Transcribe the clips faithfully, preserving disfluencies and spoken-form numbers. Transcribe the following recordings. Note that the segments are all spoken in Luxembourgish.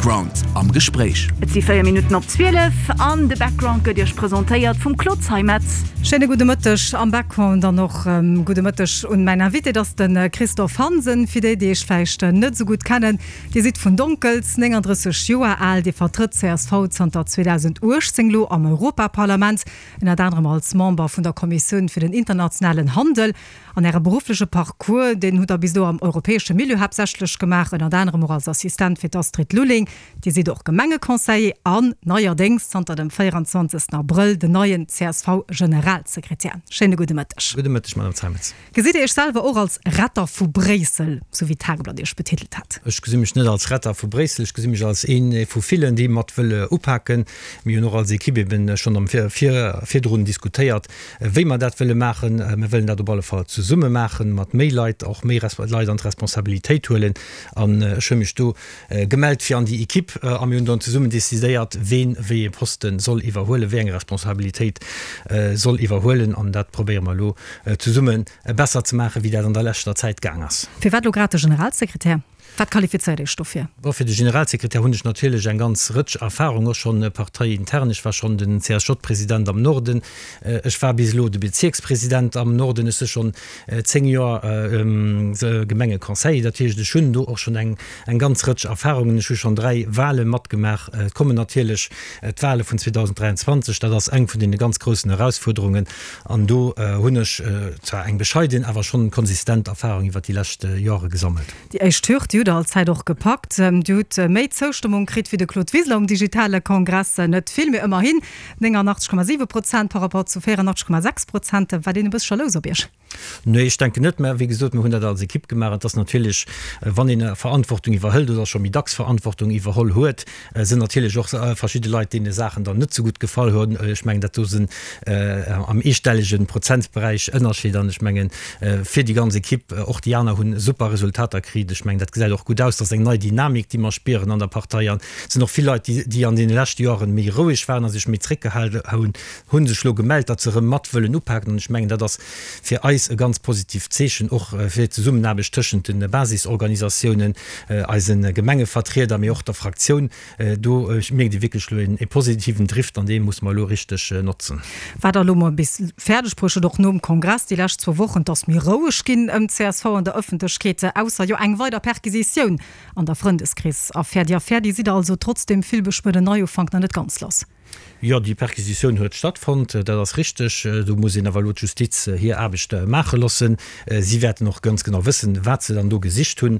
Background am Gespréich. Et si véier Minutten op zwielef an de Background gëtt Iech presentéiert vum Claude Zeimetz. Schéine gudde Mëtteg am Background an och gudde Mëtteg un mäin Invité, dat ass de Christophe Hansen. Fir déi, déi Iech vläicht net esou gutt kennen, Dir sidd vun Donkels, nénganddrësseg Joer al, Dir vertrëtt csv zanter zweedausendachtzéng elo am Europaparlament, ënnert anerem als Member vun der Kommissioun fir den internationalen Handel. An Äre beruffleche Parcours, deen hutt Der bis elo am europäesche Milieu haaptsächlech gemaach, ënnert anerem och als Assistent fir d'Astrid Lulling. Dir sidd och Gemengeconseiller an neierdéngs zanter dem véieranzwanzegsten Abrëll den neien C S V-Generalsekretär. Schéine gudde Mëtteg. Gudde Mëtteg, Madame Zeimetz. Gesitt Dir Iech selwer och als Retter vu Bréissel, sou wéi d'Tageblatt Iech betitelt hat? Ech gesi mech net als Retter vu Bréissel, ech gesi mech als ee vu villen, déi mat wëlle upaken. Mir hunn och als Equipe eben schonn am virdrun diskutéiert, wéi mer dat wëlle maachen. Mir wëllen dat op alle Fall zesumme maachen, mat méi Leit, och méi Leit an d'Responsabilitéit huelen. An ech hu mech do gemellt fir an déi Equipe a mir hunn dann zesummen decidéiert, ween wéi ee Poste soll iwwerhuelen, wéi eng Responsabilitéit soll iwwerhuelen. An dat probéiere mer elo zesumme besser ze maachen, wéi dat an der leschter Zäit gaang ass. Firwat elo grad de Generalsekretär? Wat qualifizéiert Iech dofir? Bon, fir de Generalsekretär hunn ech natierlech eng ganz Rëtsch Erfahrung, och schonn parteiintern. Ech war schonn den C S J-President am Norden, ech war bis elo de Bezierkspresident am Norden, ech si schonn zéng Joer Gemengeconseiller. Dat heescht, ech hunn do och schonn eng eng ganz Rëtsch Erfahrungen. Ech hu schonn dräi Wahle matgemaach. Et kommen natierlech d'Wahle vun zweedausend dräianzwanzeg, dat ass eng vun deene ganz groussen Erausfuerderungen. An do hunn ech zwar eng bescheiden, awer schonn konsistent Erfahrung iwwert déi lescht Jore gesammelt. Déi éischt Hürd, déi hutt Der allzäit och gepackt. Dir hutt méi Zoustëmmung kritt wéi de Claude Wiseler um digitale Kongress. Net vill, mee ëmmerhin néngannachtzeg Komma siwe Prozent par rapport zu véierannachtzeg Komma sechs Prozent. War deen e bësse jalous op Iech? Nee, ech denken net. Mä wéi gesot, mir hunn dat als Ekipp gemaach. Et ass natierlech, wann een Verantwortung iwwerhëlt oder scho méi dacks Verantwortung iwwerholl huet, sinn natierlech och verschidde Leit, deene Saachen dann net sou gutt gefall hunn. Ech mengen, dat do sinn am eestellege Prozentberäich Ënnerscheed. An ech mengen, fir déi ganz Ekipp, och déi aner hunn super Resultater kritt. Ech mengen, dat gesäit och gutt aus. Dat ass eng nei Dynamik, déi mer spieren an der Partei. An et sinn och vill Leit, déi, déi an deene leschte Joren méi roueg waren a sech méi zréckgehalen hunn, hu sech elo gemellt, datt se erëm mat wëllen upaken. An ech mengen, dat ass fir eis e ganz positivt Zeechen, och fir d'Zesummenaarbecht tëschent de Basisorganisatiounen, eise Gemengevertrieder, mee och der Fraktioun. Do mierkt ee wierklech elo e positiven Drift an dee musse mer elo richteg notzen. Wat Der elo mol bis fäerdeg bruecht hutt, och nom Kongress déi lescht zwou Wochen, et ass méi roueg ginn ëm d'C S V an der Ëffentlechkeet, ausser jo eng weider Perquisitioun an der Frëndeskrees-Affär. Déi Affär, déi sidd Der also trotz deem villbeschwuerten Neiufank nach net ganz lass. Jo, déi Perquisitioun huet stattfonnt, dat ass richteg. Do muss een awer elo d'Justiz hir Aarbecht maache loossen. Si wäerten och ganz genau wëssen, wat se dann do gesicht hunn.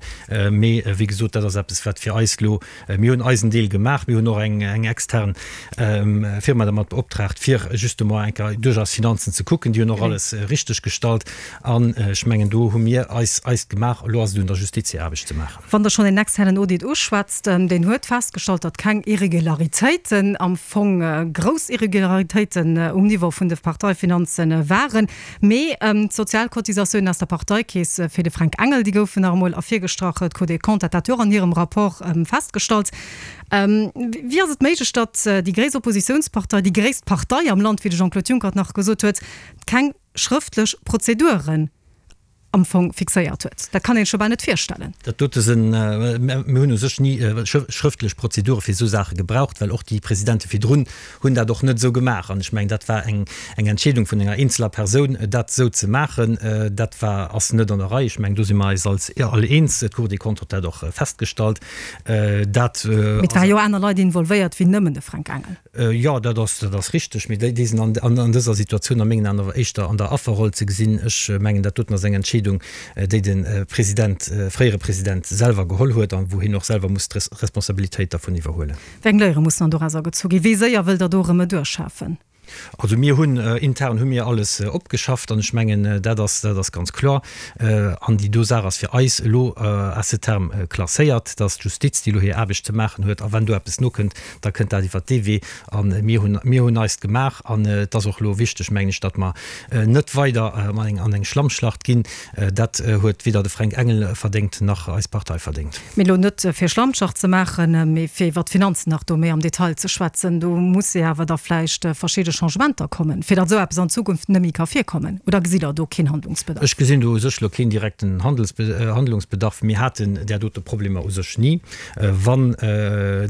Mee wéi gesot, dat ass eppes, wat fir eis elo, mir hunn eisen Deel gemaach, mir hunn och eng extern Firma dermat beoptraagt, fir justement eng Kéier duerch eis Finanzen ze kucken. Déi hunn och alles richteg gestallt. An ech mengen, do hu mir eis eist gemaach. Elo ass et un der Justiz, hir Aarbecht ze maachen. Wann Der schonn een externen Audit uschwätzt, deen huet festgestallt, datt keng Irregularitéiten am Fong, grouss Irregularitéiten um Niveau vun de Parteifinanze waren, mee d'Sozialcotisatiounen aus der Parteikeess fir de Fränk Engel, déi goufen nach emol ervirgestrach. D'Cour des Comptes hat dat jo och an hirem Rapport festgestallt. Wéi ass et méiglech, datt déi gréisst Oppositiounspartei, déi gréisst Partei am Land, wéi de Jean-Claude Juncker et nach gesot huet, keng schrëftlech Prozeduren am Fong fixéiert huet? Dat kann een sech jo bal net virstellen. Dat dote sinn, mir hunn u sech ni schrëftlech Prozedure fir esou Saache gebraucht, well och déi Presidente virdrun hunn dat och net esou gemaach. An ech mengen, dat war eng eng Entscheedung vun enger eenzeler Persoun, dat esou ze maachen. Dat war, ass net an der Rei. Ech mengen, do si mer eis als all eens. D'Cour des Comptes huet dat och festgestallt. Dat Mee et ware jo aner Leit involvéiert wéi nëmmen de Fränk Engel. Jo, dat ass, dat ass richteg, mee déi, déi sinn an, an, an dëser Situatioun a mengen Aen awer éischter an der Afferroll ze gesinn. Ech mengen, dat doten ass eng Entscheedung, déi de President, fréiere President selwer geholl huet a wou hien och selwer muss d'Responsabilitéit dervun iwwerhuelen. Wéi eng Léiere mussen dann dorauser gezu ginn? Wéi séier wëllt Der do erëm e duerchschafen? Also mir hunn intern hu mir alles opgeschafft an ech mengen, dat ass, dat ass ganz kloer. An déi do Saach ass fir eis elo à ce terme klasséiert, dass d'Justiz, déi elo hir Aarbecht ze maachen huet, a wann do eppes nokënnt, da kënnt dat iwwert dee Wee. A mir hunn, mir hunn eist gemaach an et ass och elo wichteg, mengen ech, datt mer net weider an eng, an eng Schlammschlacht ginn. Dat huet weder de Fränk Engel verdéngt nach eis Partei verdéngt. Mee elo net fir Schlammschlacht ze maachen, mee fir iwwert d'Finanzen nach do méi am Detail ze schwätzen, do muss ee awer da vläicht verschidde Changementer kommen, fir datt esou eppes an Zukunft net méi ka virkommen? Oder gesitt Der do keen Handlungsbedarf? Ech gesinn do u sech elo keen direkten Handlungsbedarf. Mir haten där dote Problemer u sech ni. Wann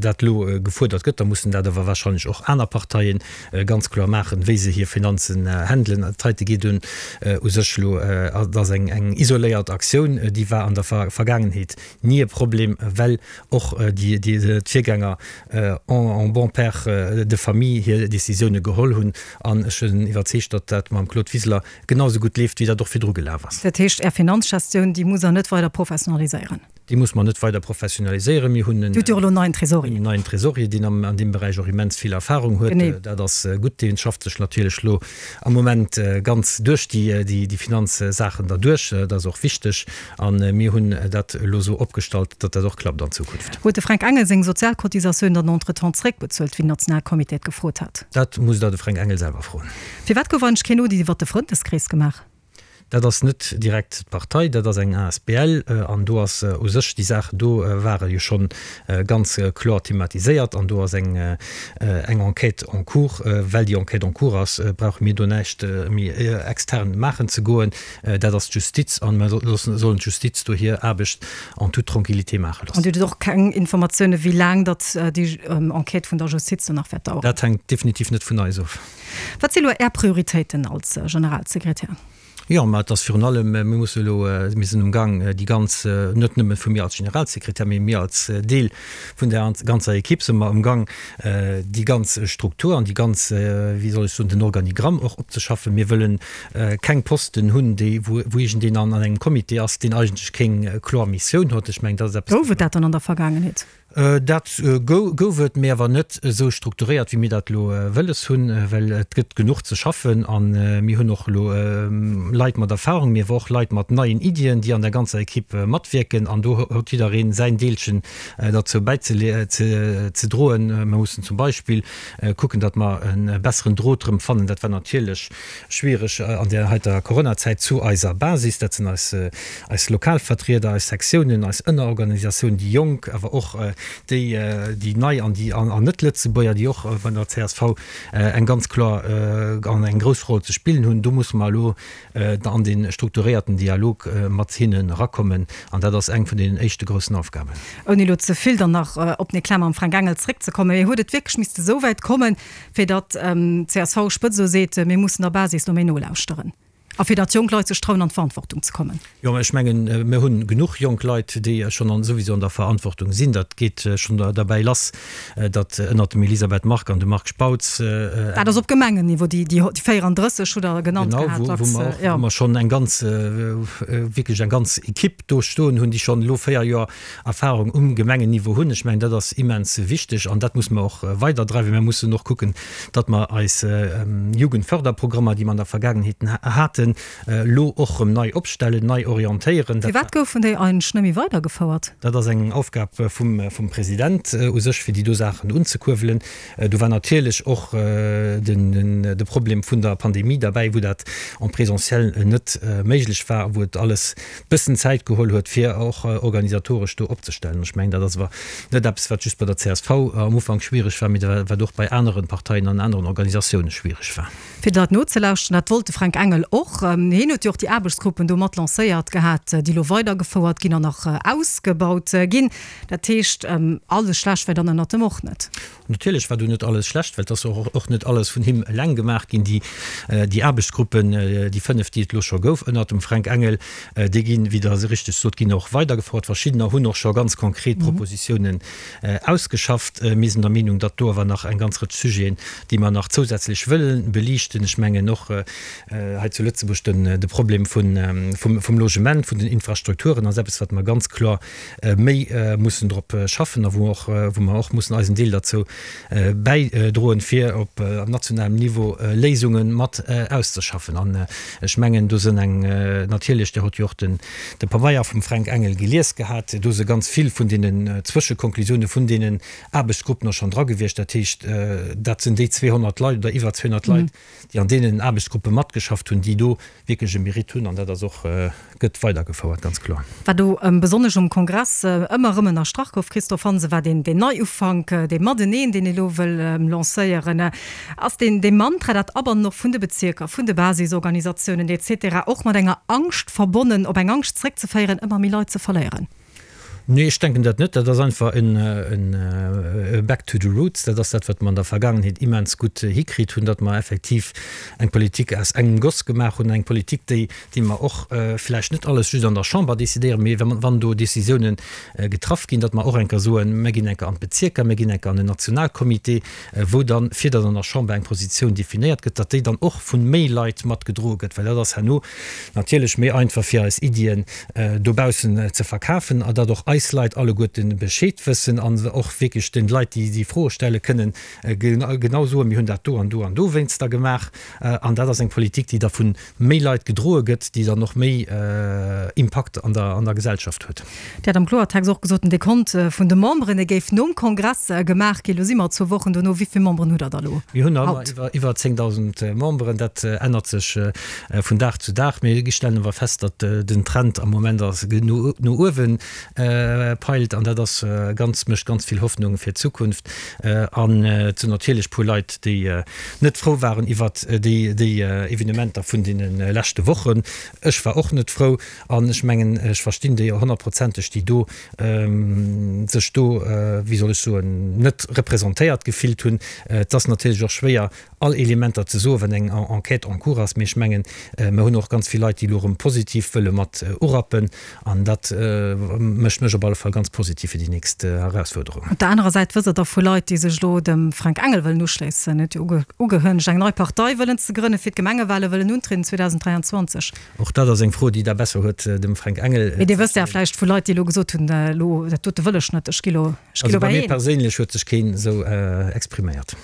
dat elo gefuerdert gëtt, da mussen dat awer wahrscheinlech och aner Parteien ganz kloer maachen, wéi se hir Finanzen handelen. Dat heite geet un u sech elo, dat ass eng isoléiert Aktioun, déi war an der Vergaangenheet ni e Problem, well och d'Virgänger en bon père de famille hir Décisioune geholl hunn. An ech sinn iwwerzeegt, datt dat mam Claude Wiseler genau esou gutt leeft, wéi dat och virdru gelaf ass. Dat heescht, Är Finanzgestioun, déi musst Der net weider professionaliséieren? Déi muss mer net weider professionaliséieren. Mir hunn en Dir hutt jo och elo en neien Tresorier. En neien Tresorier, deen an deem Beräich och immens vill Erfahrung huet. Genee. Dat ass gutt. Dee schafft sech natierlech elo am Moment ganz duerch déi Finanzsaachen derduerch. Dat ass och wichteg. A mir hunn dat elo esou opgestallt, datt dat och klappt an Zukunft. Huet de Fränk Engel seng Sozialcotisatioun dann entretemps zréckbezuelt, wéi den Nationalcomité et gefrot hat? Dat musst Der de Fränk Engel selwer froen. Firwat gouf eigentlech keen Audit iwwert de Frëndeskrees gemaach? Dat ass net direkt d'Partei, dat ass eng asbl an do ass u sech déi Saach do ware jo schonn ganz kloer thematiséiert an do ass eng eng Enquête en cours. Well déi Enquête en cours ass, brauche mir do näischt méi extern maachen ze goen. Dat ass d'Justiz an mer sollen d'Justiz do hir Aarbecht en toute tranquillité maache An loossen. Dir hutt och keng Informatiounen, wéi laang datt déi Enquête vun der Justiz do nach wäert daueren? Dat hänkt definitiv net vun eis of. Wat si elo Är Prioritéiten als Generalsekretär? Jo, mä et ass virun allem, mir musse elo, mir sinn um Gang déi ganz, net nëmme vu mir als Generalsekretär, mee mir als Deel vun där ganzer Equipe si mer um Gang déi ganz Struktur an déi ganz, wéi soll ech soen, den Organigramm och opzeschaffen. Mir wëlle keng Posten hunn, déi, wou iergendeen an engem Comité ass, deen eigentlech keng kloer Missioun huet. Ech mengen, dat ass eppes. Gouf et dat dann an der Vergaangenheet? Dat gouf et, mee awer net esou strukturéiert, wéi mir dat elo wëlles hunn, well et gëtt genuch ze schaffen. A mir hunn och elo Leit mat Erfahrung, mee awer och Leit mat neien Iddien, déi an der ganzer Equipe matwierken. An do huet jidderee säin Deelchen derzou bäizedroen. Mir mussen zum Beispill kucken, datt mer e besseren Drot erëm fannen. Dat war natierlech schwiereg an där heiter Coronazäit zu eiser Basis. Dat sinn eis eis Lokalvertrieder, eis Sektiounen, eis Ënnerorganisatiounen, déi Jonk, awer och déi déi nei an déi an Net-Lëtzebuerger, déi och bei der C S V eng ganz kloer an eng grouss Roll ze spillen hunn. Do musse mer elo an dee strukturéierten Dialog mat hinnen erakommen an dat ass eng vun deenen éischte groussen Aufgaben. Ouni elo ze vill dann nach op den Eclat mam Fränk Engel zréckzekommen, mee huet et wierklech misste esou wäit kommen, fir datt d'C S V-Spëtzt elo seet, mir mussen der Basis elo méi nolauschteren? A fir datt jonk Leit sech trauen an d'Verantwortung ze kommen. Jo, mä ech mengen, mir hunn genuch jonk Leit, déi schonn an souwisou an der Verantwortung sinn. Dat geet schonn derbäi lass, datt ënnert dem Elisabeth Margue an dem Marc Spautz. Dat ass op Gemengenniveau, déi véierandrësseg hutt Der genannt gehat. Genau, wou mer och, wou mer schonn eng ganz, wierklech eng ganz Equipe do stoen hunn, déi schonn elo véier Joer Erfahrung um Gemengenniveau hunn. Ech mengen, dat ass immens wichteg an dat muss mer och weiderdreiwen. Mir mussen och kucken, datt mer eis Jugendförderprogrammer, déi mer an der Vergaangenheet haten, elo och erëm nei opstellen, nei orientéieren. Firwat goufen déi eigentlech net méi weidergefouert? Dat ass eng Aufgab vum President u sech, fir déi do Saachen unzekuerwelen. Do war natierlech och de Problem vun der Pandemie derbäi, wou dat en présentiel net méiglech war, wou et alles bëssen Zäit geholl huet, fir och organisatoresch do opzestellen. Ech mengen, dat ass awer net eppes, wat just bei der C S V am Ufank schwiereg war, mee wat och bei anere Parteien an aneren Organisatioune schwiereg war. Fir dat nozelauschteren, dat wollt de Fränk Engel och. Hien huet jo och déi Aarbechtsgruppen do mat lancéiert gehat, déi elo weidergefouert ginn an nach ausgebaut ginn. Dat heescht, alles schlecht war dann ënnert em och net. Natierlech war do net alles schlecht, well et ass och och net alles vun him eleng gemaach ginn. Déi déi Aarbechtsgruppen, déi fënnef, déi et elo scho gouf ënnert dem Fränk Engel, déi ginn, wéi Der richteg sot, ginn och weidergefouert. Verschiddener hunn och scho ganz konkret Propositiounen ausgeschafft. Mir sinn der Meenung, datt do awer nach eng ganz Rëtsch Sujeten, déi mer nach zousätzlech wëlle beliichten, ech mengen och hei zu Lëtzebuerg den de Problem vun vum vum Logement, vun den Infrastrukturen ass eppes, wat mer ganz kloer méi mussen drop schaffen a wou och wou mer och mussen eisen Deel derzou bäidroen, fir op nationalem Niveau Léisunge mat auszeschaffen. An ech mengen, do sinn eng natierlech, Dir hutt jo och den de Pabeier vum Fränk Engel gelies gehat, do si ganz vill vun deenen Zwëschekonklusione vun deenen Aarbechtsgruppen och schonn dra gewiescht. Dat heescht, dat sinn déi zweehonnert Leit oder iwwer zweehonnert Leit, déi an deenen Aarbechtsgruppe matgeschafft hunn, déi do do wierklech e Mérite hunn an dat ass och, gëtt weidergefouert, ganz kloer. Wat do besonnesch um Kongress ëmmer erëm ënnerstrach gouf, Christophe Hansen, war deen Neiufank, dee Mateneen, deen ee lo wëll lancéieren. Ass deen dee Mantra, dat Abannen och vun de Bezierker, vun de Basisorganisatiounen et cetera och mat enger Angscht verbonnen, op eng Angscht zréckzeféieren, ëmmer méi Leit ze verléieren? Nee, ech denken dat net. Dat ass einfach en e back to the roots. Dat ass dat, wat mer an der Vergaangenheet immens gutt hikritt hunn, datt mer effektiv eng Politik aus engem Goss gemaach hunn, eng Politik, déi, déi mer och vläicht net alles just an der Chamber decidéieren, mee wann do Décisiounen getraff ginn, datt mer och eng Kéier soen, mer ginn eng Kéier an d'Bezierker, mer ginn eng Kéier an den Nationalcomité, wou dann, fir datt an der Chamber eng Positioun definéiert gëtt, datt déi dann och vu méi Leit matgedroe gëtt, well dat ass herno natierlech méi einfach fir eis Iddien dobaussen ze verkafen a datt och eis Leit alleguerten Bescheed wëssen an och wierklech den Leit, déi déi Froe stelle kënnen, genau soen, mir hunn dat do an do an dowéinster gemaach. An dat ass eng Politik, déi da vu méi Leit gedroe gëtt, déi dann och méi Impakt an der an der Gesellschaft huet. Dir hat am Kloertext och gesot, den Dekont vun de Memberen, dee géif nom Kongress gemaach ginn. Elo si mer zwou Wochen dono. Wéi vill Memberen hutt Der da elo Mir hunn haut? Iwwer zéngdausend Memberen. Dat ännert sech vun Dag zu Dag. Mir stellen awer fest, datt den Trend am Moment ass no uewen peilt an dat ass ganz, mécht ganz vill Hoffnung fir d'Zukunft. An et sinn natierlech puer Leit, déi net frou waren iwwert déi Evenementer vun deene leschte Wochen. Ech war och net frou an ech mengen, ech verstinn déi honnertprozenteg, déi do sech do, wéi soll ech soen, net representéiert gefillt hunn. Et ass natierlech och schwéier, all Elementer ze soen, wann eng Enquête en cours ass. Mee ech mengen, mer hunn och ganz vill Leit, déi elo erëm positiv wëlle mat urappen. An dat mécht mech op alle Fall ganz positiv fir déi nächst Erausfuerderungen. Op der anerer Säit wësst Der da vu Leit, déi sech elo dem Frank Engel wëllen uschléissen, huet jo ugehënnegt, eng nei Partei wëllen ze grënnen, fir d'Gemengewale wëllen untrieden zweedausenddräianzwanzeg. Och dat ass eng Fro, déi Der besser huet dem Fränk Engel Mee Dir ze wësst ja stellen. vläicht vu Leit, déi elo gesot hunn, elo dat dote wëll ech net, ech gi lo, ech gi Also lo bei bei mir een. perséinlech huet sech keen esou expriméiert.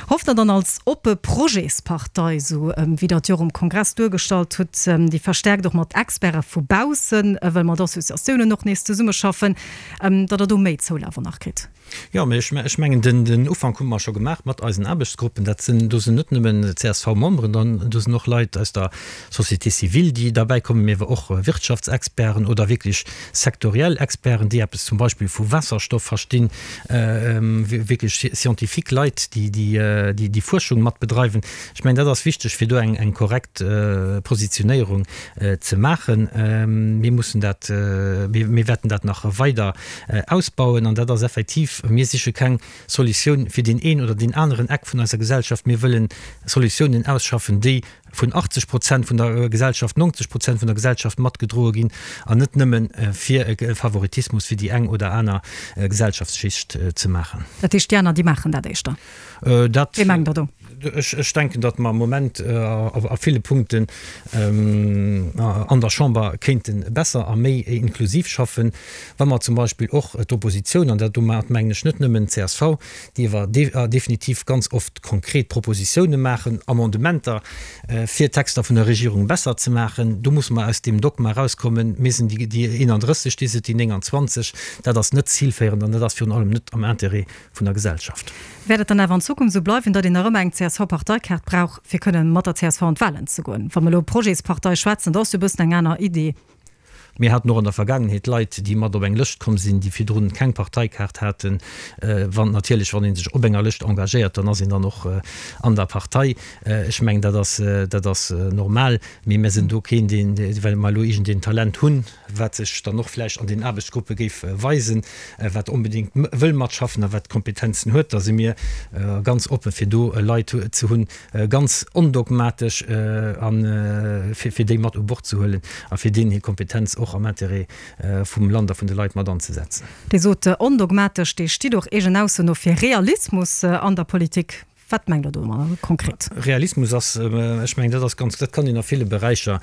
Hofft Der dann als oppe Projetspartei, esou wéi Der et jo och um Kongress duergestallt hutt, déi verstärkt och mat Experte vu baussen, wëll mat Associatiounen och nees zesummeschaffen, datt Der do méi Zoulaf och nach kritt? Jo, mee ech mengen, den Ufank hu mer scho gemaach mat eisen Aarbechtsgruppen. Dat sinn, do sinn net nëmmen C S V-Memberen dran, do sinn och Leit aus der Société civile, déi derbäi kommen, mee awer och Wirtschaftsexperten oder wierklech sektoriell Experten, déi eppes zum Beispill vu Waasserstoff verstinn, wierklech scientifique Leit, déi déi Fuerschung mat bedreiwen. Ech mengen, dat ass wichteg, fir do eng korrekt Positionéierung ze maachen. Mir mussen dat, mir wäerten dat nach weider ausbauen an dat ass effektiv, mir siche keng Solutioun fir deen een oder deen aneren Eck vun eiser Gesellschaft, mir wëllen Solutiounen ausschaffen, déi vun achtzeg Prozent vun der Gesellschaft, neunzeg Prozent vun der Gesellschaft matgedroe ginn an net nëmmen fir e Favoritismus fir déi eng oder aner Gesellschaftsschicht ze maachen. Dat heescht, déi aner, déi maachen dat éischter? Dat, Wee mengt Der do? Ech denken, datt mer am Moment a ville Punkten an der Chamber kéinte besser a méi inklusiv schaffen, wa mer zum Beispill och d'Oppositioun, an dat domat mengen ech net nëmmen d'C S V, déi awer definitiv ganz oft konkret Propositiounen maachen, Amendementer, fir d'Texter vun der Regierung besser ze maachen. Do musse mer aus deem Dogma erauskommen, mir sinn déi eenandrësseg, dir sidd déi nénganzwanzeg. Dat ass net zilféierend an dat ass virun allem net am Intérêt vun der Gesellschaft. Wäert et dann awer an Zukunft esou bleiwen, datt een nach ëmmer eng C S V-Parteikaart brauch, fir kënnen mat der C S V an d'Wahlen ze goen? Wa mer elo Projetspartei schwätzen, dat ass jo e bëssen eng aner Idee. Mir haten och an der Vergaangenheet Leit, déi mat op eng Lëscht komm sinn, déi virdrun keng Parteikaart haten. Wann natierlech, wann ee sech op enger Lëscht engagéiert, dann ass een dann och an der Partei. Ech mengen, dat ass, dat ass normal. Mee mir sinn do keen, deen, well mer elo iergendeen Talent hunn, wat sech dann och vläicht an den Aarbechtsgruppe géif weisen, wat onbedéngt wëll matschaffen a wat d'Kompetenzen huet. Da si mir ganz oppe fir do Leit ze hunn, ganz ondogmatesch, a fir déi mat u Bord ze huelen a fir deenen hir Kompetenz och am Intérêt vum Land a vun de Leit mat anzesetzen. Dir sot ondogmatesch, Dir stitt och eegen Ausso no fir Realismus an der Politik. Wat mengt Der domadder konkret? Realismus ass, ech mengen, dat ass ganz, dat kann een a ville Beräicher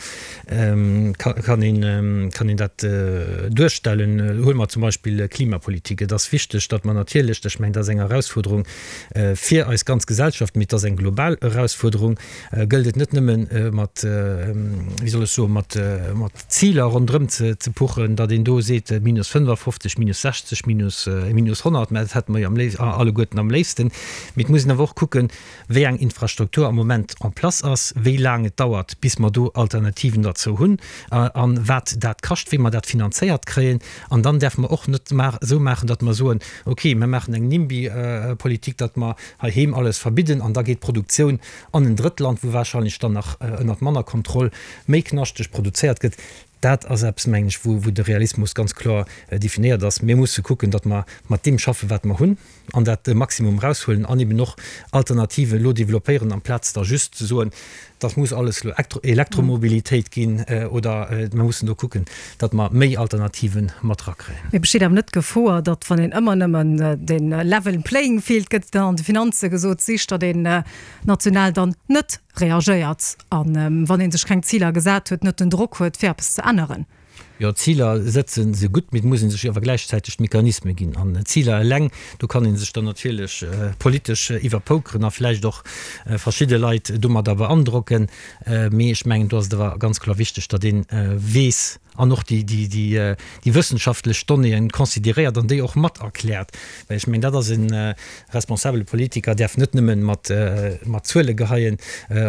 kann een, kann een dat duerstellen. Huele mer zum Beispill Klimapolitik. Et ass wichteg, datt mer natierlech, ech mengen, dat ass eng Erausfuerderung fir eis ganz Gesellschaft, mee et ass eng global Erausfuerderung, gëllt et net nëmmen mat, wéi soll ech soen, mat mat Ziler ronderëm ze ze puchen, datt een do seet minus fënnefafofzeg, minus sechzeg, minus minus honnert, mä dat hätte mer jo am léif alleguerten am léifsten. Mee et muss een awer och kucken, kucken, wéi eng Infrastruktur am Moment en place ass, wéi laang et dauert, bis mer do Alternativen derzou hunn a wat dat kascht, wéi mer dat finanzéiert kréien. An dann däerfe mer och net esou maachen, datt mer soen, okay, mer maachen eng NIMBY-Politik, datt mer heiheem alles verbidden an da geet d'Produktioun an en Drëttland, wou wahrscheinlech dann nach ënnert manner Kontroll méi knaschteg produzéiert gëtt. Dat ass eppes, mengen ech, wou de Realismus ganz kloer definéiert ass. Mir musse kucken, datt mer mat deem schaffen, wat mer hunn, an dat Maximum eraushuelen an eben och Alternativen elo developpéieren, amplaz da just ze soen, dat muss alles elo Elektromobilitéit ginn oder mer mussen do kucken, datt mer méi Alternativen mat erakréien. Mee besteet awer net d'Gefor, datt, wann een ëmmer nëmmen de level playing field, gëtt dann an de Finanze gesot, sicht, datt een national dann net reagéiert an, wann ee sech keng Ziler gesat huet, net den Drock huet, fir eppes ze änneren? Jo, Ziler sëtzen se gutt, mee et muss ee sech awer gläichzäiteg d'Mechanisme ginn. An Ziler eleng, do kann ee sech dann natierlech politesch iwwerpokeren a vläicht och verschidde Leit domadder beandrocken. Mee ech mengen, do ass et awer ganz kloer wichteg, datt ee weess an och déi wëssenschaftlech Donnéeën consideréiert an déi och mat erkläert. Well ech mengen, dat ass e responsabele Politiker däerf net nëmme mat Zuele geheien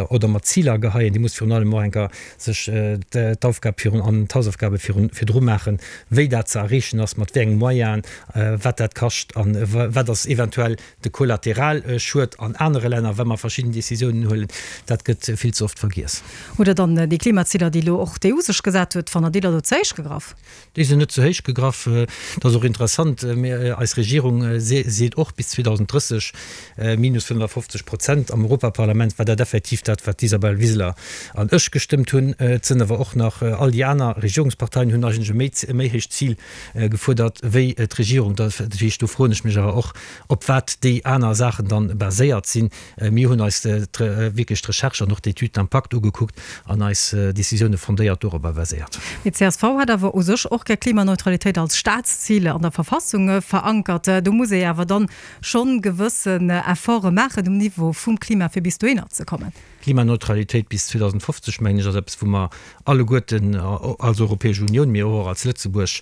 oder mat Ziler geheien, dee muss virun allem och eng Kéier sech d'Aufgab virun an d'Hausaufgabe virun virdru maachen, wéi dat ze erreechen ass, mat wéi enge Moyenen, wat dat kascht a wat ass eventuell de Kollateralschued an anere Länner, wa mer verschidden Décisiounen huelen. Dat gëtt vill ze oft vergiess. Hutt Der dann déi Klimaziler, déi elo och d'EU sech gesat huet, fannt Der déi da do ze héich gegraff? Déi sinn net ze héich gegraff. Dat ass och interessant, eis Regierung seet och bis zweedausenddrësseg minus fënnefafofzeg Prozent. Am Europaparlament war dat effektiv dat, wat d'Isabel Wiseler an ech gestëmmt hunn. Et sinn awer och nach all déi aner Regierungsparteien hunn eigentlech e méi, e méi héicht Zil gefuerdert wéi d'Regierung. Dat heescht, do froen ech mech awer och, op wat déi aner Saachen dann baséiert sinn. Mir hunn eis wierklech d'Recherche an och d'Étude d'impact ugekuckt an eis Décisioune fondéiert dorobber baséiert. Mee d'CSV hätt awer u sech och gär Klimaneutralitéit als Staatszil an der Verfassung verankert. Do muss ee awer dann schonn gewëssen Efforte maachen um Niveau vum Klima, fir bis dohinner ze kommen. Klimaneutralitéit bis zweedausendfofzeg, mengen ech, ass eppes, wou mer alleguerten als Europäesch Unioun, mee och als Lëtzebuerg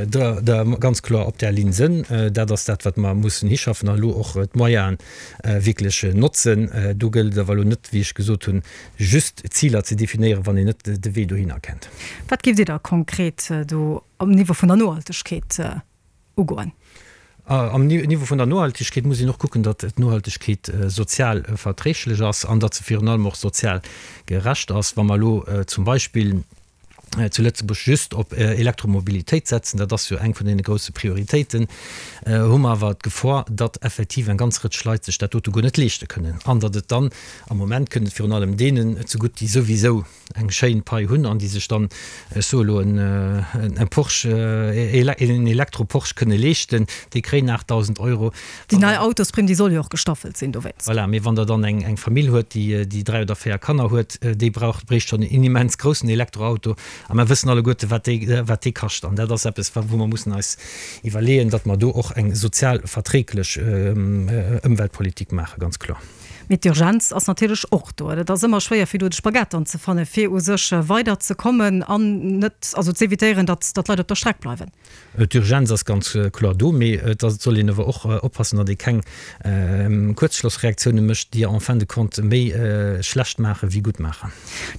da ganz kloer op där Linn sënn. Dat ass dat, wat mer mussen hischaffen an elo och d'Moyene wierklech notzen. Do gëllt et awer elo net, wéi ech gesot hunn, just Ziler ze definéieren, wann een net de Wee dohinner kennt. Wat géift Dir da konkret do um Niveau vun der Nohaltegkeet ugoen? Am Niveau vun der Nohaltegkeet muss een och kucken, datt d'Nohaltegkeet sozial verträglech ass an datt se virun allem och sozial gerecht ass. Wa mer elo zum Beispill zu Lëtzebuerg just op Elektromobilitéit setzen, dat ass jo eng vun deene grousse Prioritéiten, hu mer awer d'Gefor, datt effektiv eng ganz Rëtsch Leit sech dat dote guer net leeschte kënnen an datt et dann, am Moment kënnt et virun allem deenen zegutt, déi souwisou eng schéin Pai hunn an déi sech dann, ech soe elo, en Porsche, en Elektro-Porsche kënne leeschten, déi kréien aachtdausend Euro. Déi nei Autosprimm, déi soll jo och gestaffelt sinn dowéinst. Voilà, mee wann Der dann eng Famill huet, déi dräi oder véier Kanner huet, déi brauch, bréicht schonn en immens groussen Elektroauto. A mer wëssen alleguerte wat dee, wat dee kascht. An dat ass eppes, wou mer mussen eis iwwerleeën, datt mer do och eng sozial verträglech Ëmweltpolitik maachen, ganz kloer. Mee d'Urgenz ass natierlech och do. Et ass ëmmer schwéier, fir do de Spagat dann ze fannen, fir u sech weiderzekommen an net, also z'evitéieren, datt d'Leit op der Streck bleiwen. D'Urgenz ass ganz kloer do, mee et soll een awer och oppassen, datt ee keng Kuerzschlossreaktioune mécht, déi en fin de compte méi schlecht maache wéi gutt maachen.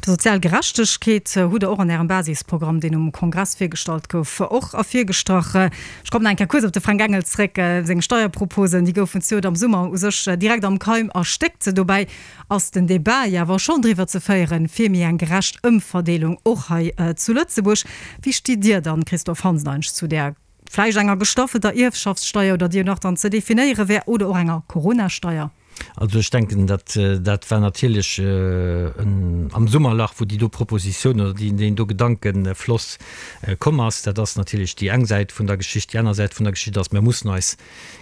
D'sozial Gerechtegkeet hutt Der och an Ärem Basisprogramm, deen um Kongress virgestallt gouf, och ervirgestrach. Ech kommen nach eng Kéier kuerz op de Fränk Engel zréck. Seng Steierproposen, déi goufen zejoert am Summer u sech direkt am Keim erstéckt. Dobäi ass den Debat jo awer schonn driwwer ze féieren, fir méi eng gerecht Ëmverdeelung och hei zu Lëtzebuerg. Wéi stitt Dir dann, Christophe Hansen, eigentlech zu där vläicht enger gestaffelter Ierfschaftssteier oder déi jo nach dann ze definéiere wär, oder och enger Coronasteier? Also ech denken, dat dat war natierlech am Summerlach, wou déi do Propositioun oder deen do Gedankenfloss komm ass. Dat ass natierlech déi eng Säit vun der Geschicht. Déi aner Säit vun der Geschicht ass, mir mussen eis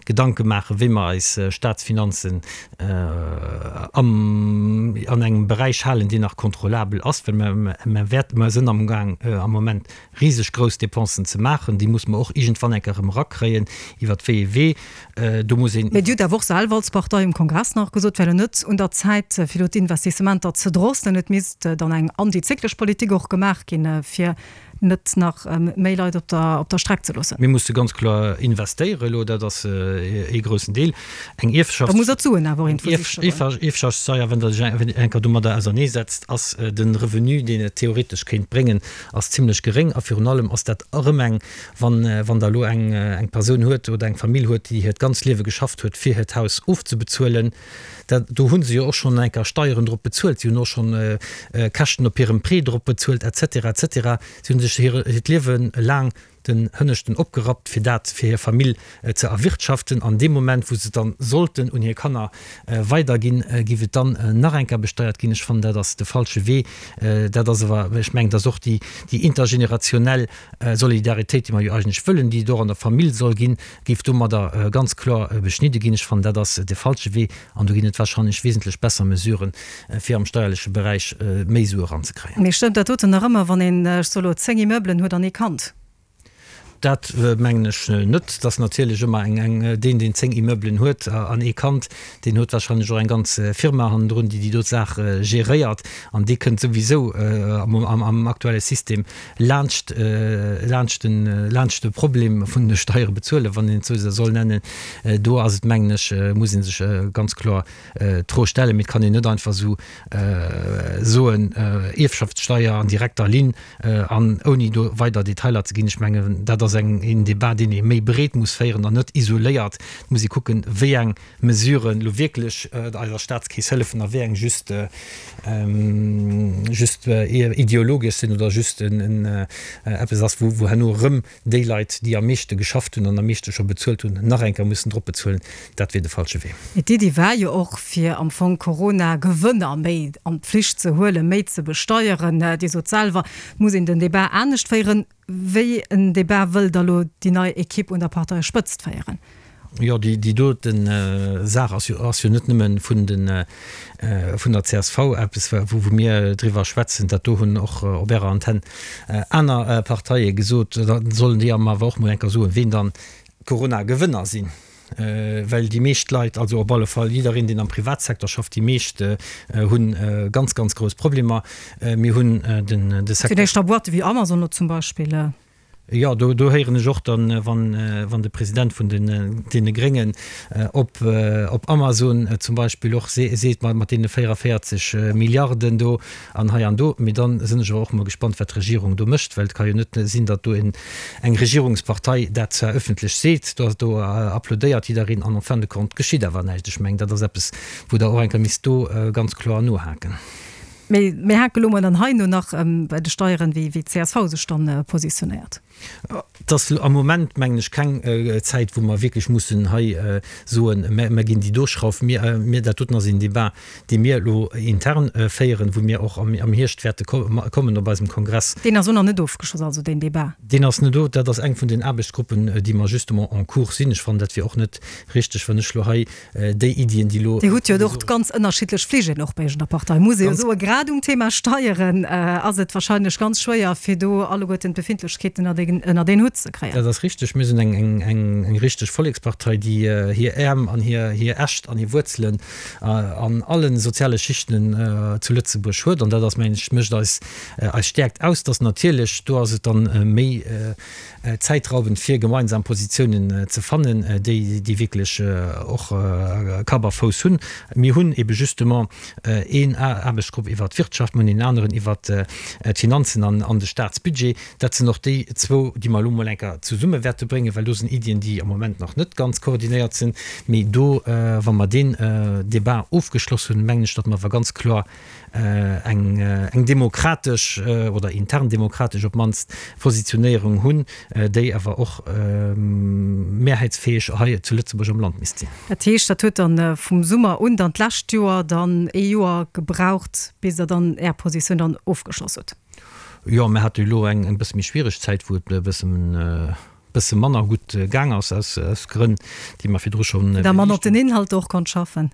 Gedanke maachen, wéi mer eis Statsfinanzen am an engem Beräich halen, deen nach kontrollabel ass, well mer mer wäerten, mer sinn amgaang am Moment riseg grouss Dépensen ze maachen, déi musse mer och iergendwann eng Kéier erëm erakréien, iwwert wéi ee Wee. Do muss een. Mee Dir hutt awer och selwer als Partei um Kongress nach gesot, et wär elo net un der Zäit, fir elo d'Investissementer ze drosselen. Et misst dann eng antizyklesch Politik och gemaach ginn, fir net nach méi Leit op der, op der Streck ze loossen. Mir musse ganz kloer investéieren elo, dat ass ee groussen Deel. Eng Ierfschaft, Da muss Der d'Suen awer och iergendwou sicheren. Ierfschaftssteier, wann Der sech eng Kéier domadder auserneesetzt, ass de Revenu, deen et theoretesch kéint bréngen, ass zimlech geréng. A virun allem ass dat erëm eng, wann, wann Der elo eng, eng Persoun huet oder eng Famill huet, déi hiert ganz Liewe geschafft huet, fir hiert Haus ofzebezuelen, dat, do hu se jo och schonn eng Kéier Steieren drop bezuelt, si hunn och schonn Käschten op hirem Prêt drop bezuelt, et cetera, et cetera. Si hu sech hiert Liewe laang den Hënneschten opgerappt, fir dat fir hir Famill ze erwirtschaften. An deem Moment, wou se et dann sollten un hir Kanner weiderginn, géif et dann nach eng Kéier besteiert ginn. Ech fannen, dat ass de falsche Wee. Dat ass awer, ech mengen, dat ass och déi intergenerationell Solidaritéit, déi mer jo eigentlech wëllen, déi et och an der Famill soll ginn, géif domadder ganz kloer beschnidde ginn. Ech fannen, dat ass de falsche Wee an do ginn et wahrscheinlech wesentlech besser Mesuren, fir am steierleche Beräich méi Sue eranzekréien. Mee stëmmt dat doten nach ëmmer, wann een, ech soe lo, zéng Immeublen huet an ee Kand? Dat mengen ech net. Et ass natierlech ëmmer eng, eng, deen, deen zéng Immeublen huet an ee Kand, deen huet wahrscheinlech och eng ganz Firma hannendrun, déi déi do Saach geréiert an dee kënnt souwisou am, am, am aktuelle System laanscht, laanscht den, laanscht de Problem vun de Steiere bezuelen, wann een et esou soll nennen. Do ass et, mengen ech, muss ee sech ganz kloer d'Fro stellen, mee et kann een net einfach esou soen, Ierfschaftssteier an direkter Linn an ouni do weider Detailer ze ginn. Ech mengen, dat ass eng, een Débat, deen ee méi breet muss féieren an net isoléiert. Et muss ee kucken, wéi eng Mesuren elo wierklech eiser Staatskeess hëllefen a wéi eng just, just ideologesch sinn oder just en, eppes ass, wou, wou herno erëm déi Leit, déi am meeschte geschafft hunn an am meeschte scho bezuelt hunn, nach eng Kéier mussen drop bezuelen. Dat wier de falsche Wee. Mee d'Iddi war jo och, fir am Fong Corona-Gewënner méi an d'Pflicht ze huelen, méi ze besteieren. Dir sot selwer, et muss een den Débat anescht féieren. Wéi en Débat wëll da lo déi nei Equipe un der Parteispëtzt féieren? Jo, déi doten Saach ass jo, ass jo net nëmme vun den, vun der C S V eppes, wou, wou mir driwwer schwätzen. Dat do hunn och op Ärer Antenn aner Parteie gesot. Da sollen déi awer och mol eng Kéier soen, ween dann d'Corona-Gewënner sinn. Well déi meescht Leit, also op alle Fall jiddereen, deen am Privatsecteur schafft, déi meescht hunn ganz, ganz grouss Problemer. Mir hunn den, de Secteur. Fir d'éischt da Boîte wéi Amazon elo zum Beispill. Jo, do, do héieren ech och dann, wann, wann de President vun den, deene Gréngen op, op Amazon zum Beispill och seet, mat, mat deene véierundavéierzeg Milliarden do an hei an do. Mee dann sinn ech awer och emol gespannt, wat d'Regierung do mécht, well et ka jo net sinn, datt do en, eng Regierungspartei dat zwar öffentlech seet, do, do applaudéiert jiddereen an en fin de compte geschitt awer näischt. Ech mengen, dat ass eppes, wou Der och eng Kéier misst do ganz kloer nohaken. Mee mir hake lo mol dann hei no nach bei de Steieren, wéi wéi d'C S V sech dann positionéiert. Et ass am Moment, mengen ech, keng Zäit, wou mer wierklech mussen hei soen, mer ginn déi do Schrauf. Mir, mir, dat doten ass een Débat, dee mir elo intern féieren, wou mir och am, am Hierscht wäerte kommen op eisem Kongress. Deen ass och nach net ofgeschloss, also deen Débat? Deen ass net, dat ass eng vun den Aarbechtsgruppen, déi mer justement en cours sinn. Ech fannen, dat wier och net richteg, wann ech elo hei déi Iddien, déi elo. Dir hutt jo och ganz ënnerschiddlech Fligelen och bei Iech an der Partei, muss ee jo soen. Grad um Thema Steieren ass et wahrscheinlech ganz schwéier, fir do alleguerten d'Befindlechkeeten ënnert een Hutt ze kréien. Dat ass richteg. Mir sinn eng richteg Vollekspartei, déi hir Äerm an hir Äscht an hir Wuerzelen an alle soziale Schichten zu Lëtzebuerg huet. An dat ass, mengen ech, mécht eis eis Stäerkt aus. Dass natierlech, do ass et dann méi zäitraubend, fir gemeinsam Positiounen ze fannen, déi déi wierklech och Kapp a Fouss hunn. Mir hunn ebe justement een Aarbechtsgrupp iwwert d'Wirtschaft, mir hunn een aneren iwwert d'Finanzen an de Staatsbudget. Dat sinn och déi zwou, déi mer elo mol eng Kéier zesumme wäerte bréngen, well do sinn Iddien, déi am Moment nach net ganz koordinéiert sinn. Mee do, wa mer deen Débat ofgeschloss hunn, mengen ech, datt mer awer ganz kloer eng demokratesch oder intern demokratesch op d'mannst Positionéierung hunn, déi awer och mehrheitsfäeg hei zu Lëtzebuerg am Land misst sinn. Dat heescht, dat huet dann vum Summer un dann d'lescht Joer dann ee Joer gebraucht, bis Der dann Är Positioun dann ofgeschloss hutt? Jo, mir hate jo elo eng e bësse méi schwiereg Zäit, wou et e bëssen, bësse manner gutt gaang ass, aus, aus Grënn, déi mer virdru schonn. Da manner op den Inhalter och konnt schaffen.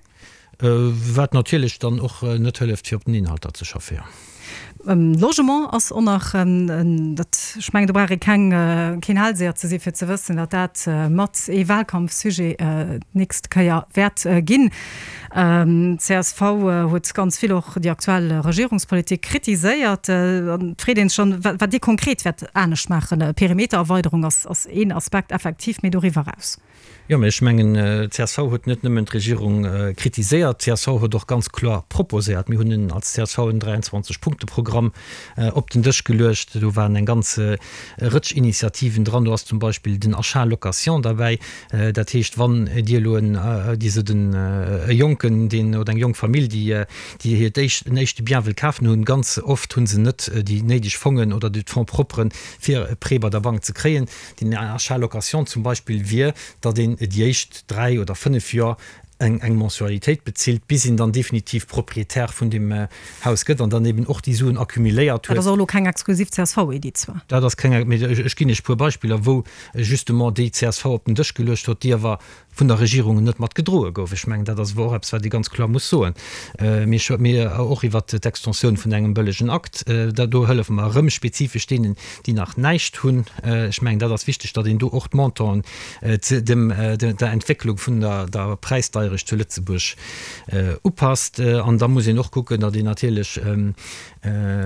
Wat natierlech dann och net hëlleft, fir op den Inhalter ze schaffen, jo. Logement ass och nach dat, ech mengen do brauch ee keng, keen Hellseher ze si fir ze wëssen, datt dat mat ee Wahlkampfsujet d'nächst Kéier wäert ginn. Csv huet ganz vill och déi aktuell Regierungspolitik kritiséiert. An et freet een sech schonn, wat Dir konkret wäert anescht maachen. Perimetererweiderung ass een Aspekt effektiv, mee doriwwer eraus. Jo, mä ech mengen, csv huet net nëmmen d'Regierung kritiséiert, csv huet och ganz kloer proposéiert. Mir hunn als csv en dräianzwanzeg Punkte-Programm op den Dësch geluecht. Do waren eng ganz Rëtsch Initiativen dran. Do ass zum Beispill den Achat location derbäi. Dat heescht, wann Dir elo en, Dir sidd en e Jonken, deen, oder eng jonk Famill, déi, déi hiert éischt, en éischte Bien wëll kafen, hunn ganz oft hu se net déi néideg Fongen oder d'Fonds propres, fir e Prêt bei der Bank ze kréien. Den Achat location zum Beispill wier, datt een déi éischt dräi oder fënnef Joer eng eng Mensualitéit bezilt, bis een dann definitiv Proprietär vun deem Haus gëtt an dann eben och déi Suen accumuléiert Dat huet. ass och elo keng exklusiv C S V-Iddi zwar. Dat ass keng, mee ech ginn Iech e puer Beispiller, wou justement déi csv op den Dësch geluecht huet, déi awer vun der Regierung net mat gedroe gouf. Ech mengen, dat ass awer och eppes, wat ee ganz kloer muss soen. Mir, mir och iwwert d'Extensioun vun engem bëllegen Akt, da do hëllefe mer erëm spezifesch deenen, déi nach näischt hunn. Ech mengen, dat ass wichteg, datt een do och d'Montanten dem, der Entwécklung vun der, der Präisdeierecht zu Lëtzebuerg upasst. An da muss een och kucken, datt een natierlech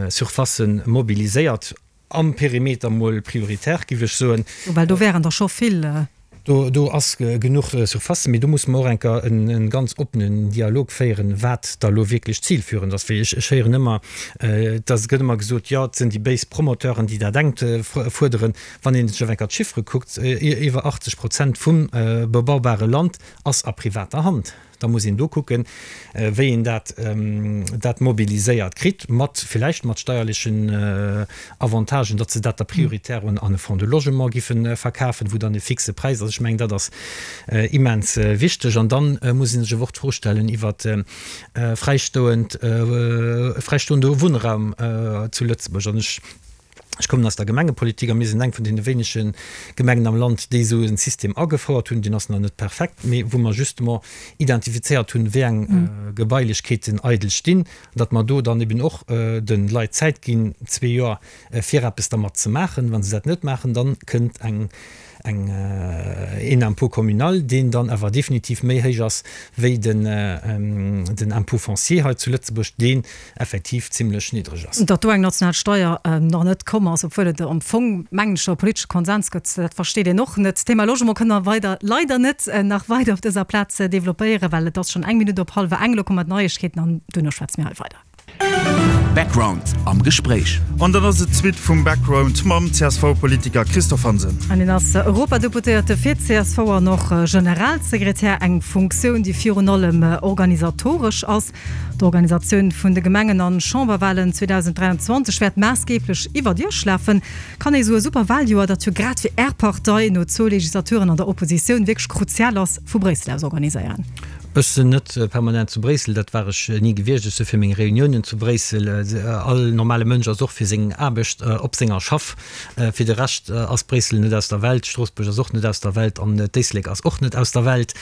Surfacen mobiliséiert. Am Perimeter mol prioritär, géif ech soen. Well do wären der scho vill. Do, do ass genuch Surface, mee do muss mer och eng Kéier en ganz oppenen Dialog féieren, wat da lo wierklech zilführend ass. Well ech, ech héieren ëmmer, dass, et gëtt ëmmer gesot, jo, et sinn déi béis Promoteuren, déi dat engt fuerderen. Wann een sech awer eng Kéier d'Chiffere kuckt, iwwer achtzeg Prozent vum bebaubare Land ass a privater Hand. Da muss een do kucken, wéi een dat, dat mobiliséiert kritt, mat villäicht mat steierlechen Avantagen, datt se dat da prioritär un an e Fonds de logement giffe verkafen, wou dann e fixe Präis ass. Ech mengen, dat ass immens wichteg. An dann muss ee sech awer och d'Fro stellen iwwert fräistoend, fräistoende Wunnraum zu Lëtzebuerg. An ech. Ech kommen aus der Gemengepolitik a mir sinn eng vun deene wéinege Gemengen am Land, déi esou e System agefouert hunn. Deen ass nach net perfekt, mee wou mer justement identifizéiert hunn, wéi eng Gebailechkeeten eidel stinn, an datt mer do dann eben och de Leit Zäit ginn, zwee Joer, fir eppes dermat ze maachen. Wa se dat net maachen, da kënnt eng eng een Impôt communal, deen dann awer definitiv méi héich ass wéi den den Impôt foncier hei zu Lëtzebuerg, deen effektiv zimlech niddreg ass. Datt do eng national Steuer nach net komm ass, obwuel et am Fong, mengen ech, scho e politesche Konsens gëtt, dat versteet een och net. D'Thema Logement kënne mer weider leider net nach weider op dëser Plaz developpéieren, well et ass schonn eng Minutt op hallwer eng. Elo komme d'Neiegkeeten an duerno schwätze mir hei weider. Background am Gespréich. An dann ass et d'Suite vum Background mam C S V-Politiker Christophe Hansen. An hien ass Europadeputéierte fir d'C S V an och Generalsekretär, eng Funktioun, déi virun allem organisatoresch ass. D'Organisatioun vun de Gemengen an Chamberwalen zweedausend dräianzwanzeg wäert maassgeeblech iwwert Iech lafen. Kann ee sou e super Waljoer, dat jo grad fir Är Partei no zwou Legislaturen an der Oppositioun wierklech kruzial ass, vu Bréissel aus organiséieren? Ech sinn net permanent zu Bréissel, dat war ech ni gewiescht. Ech si fir meng Reuniounen zu Bréissel. All normale Mënsch ass och fir seng Aarbecht op senger Schaff. Fir de Rescht ass Bréissel net aus der Welt, Stroossbuerg ass och net aus der Welt an d'Éislek ass och net aus der Welt.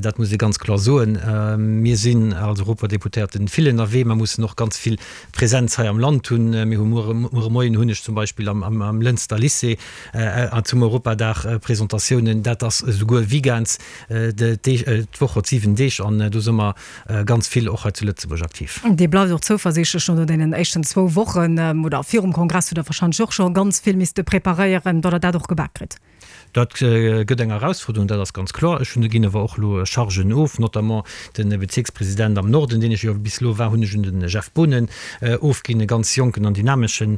Dat muss ee ganz kloer soen. Mir sinn als Europadeputéierten vill ënnerwee. Mer mussen och ganz vill Präsenz hei am Land hunn. Mir hu muer, muer Moien hunn ech zum Beispill am, am Lënster Lycée zum Europadag Presentatiounen. Dat ass esouguer weekends. D'Woch huet siwen Deeg an do si mer ganz vill och hei zu Lëtzebuerg aktiv. Dir bleift och zouversiichtlech no deenen éischten zwou Wochen oder virum Kongress hutt Der warscheinlech och scho ganz vill misste preparéieren, datt Der dat och gebak kritt. Dat gëtt eng Erausfuerderung, dat ass ganz kloer. Ech hunn, ginn awer och elo Chargen of, notamment de Bezierkspresident am Norden, deen ech jo bis elo war, hunn ech un de Jeff Boonen ofginn, e ganz jonken an dynameschen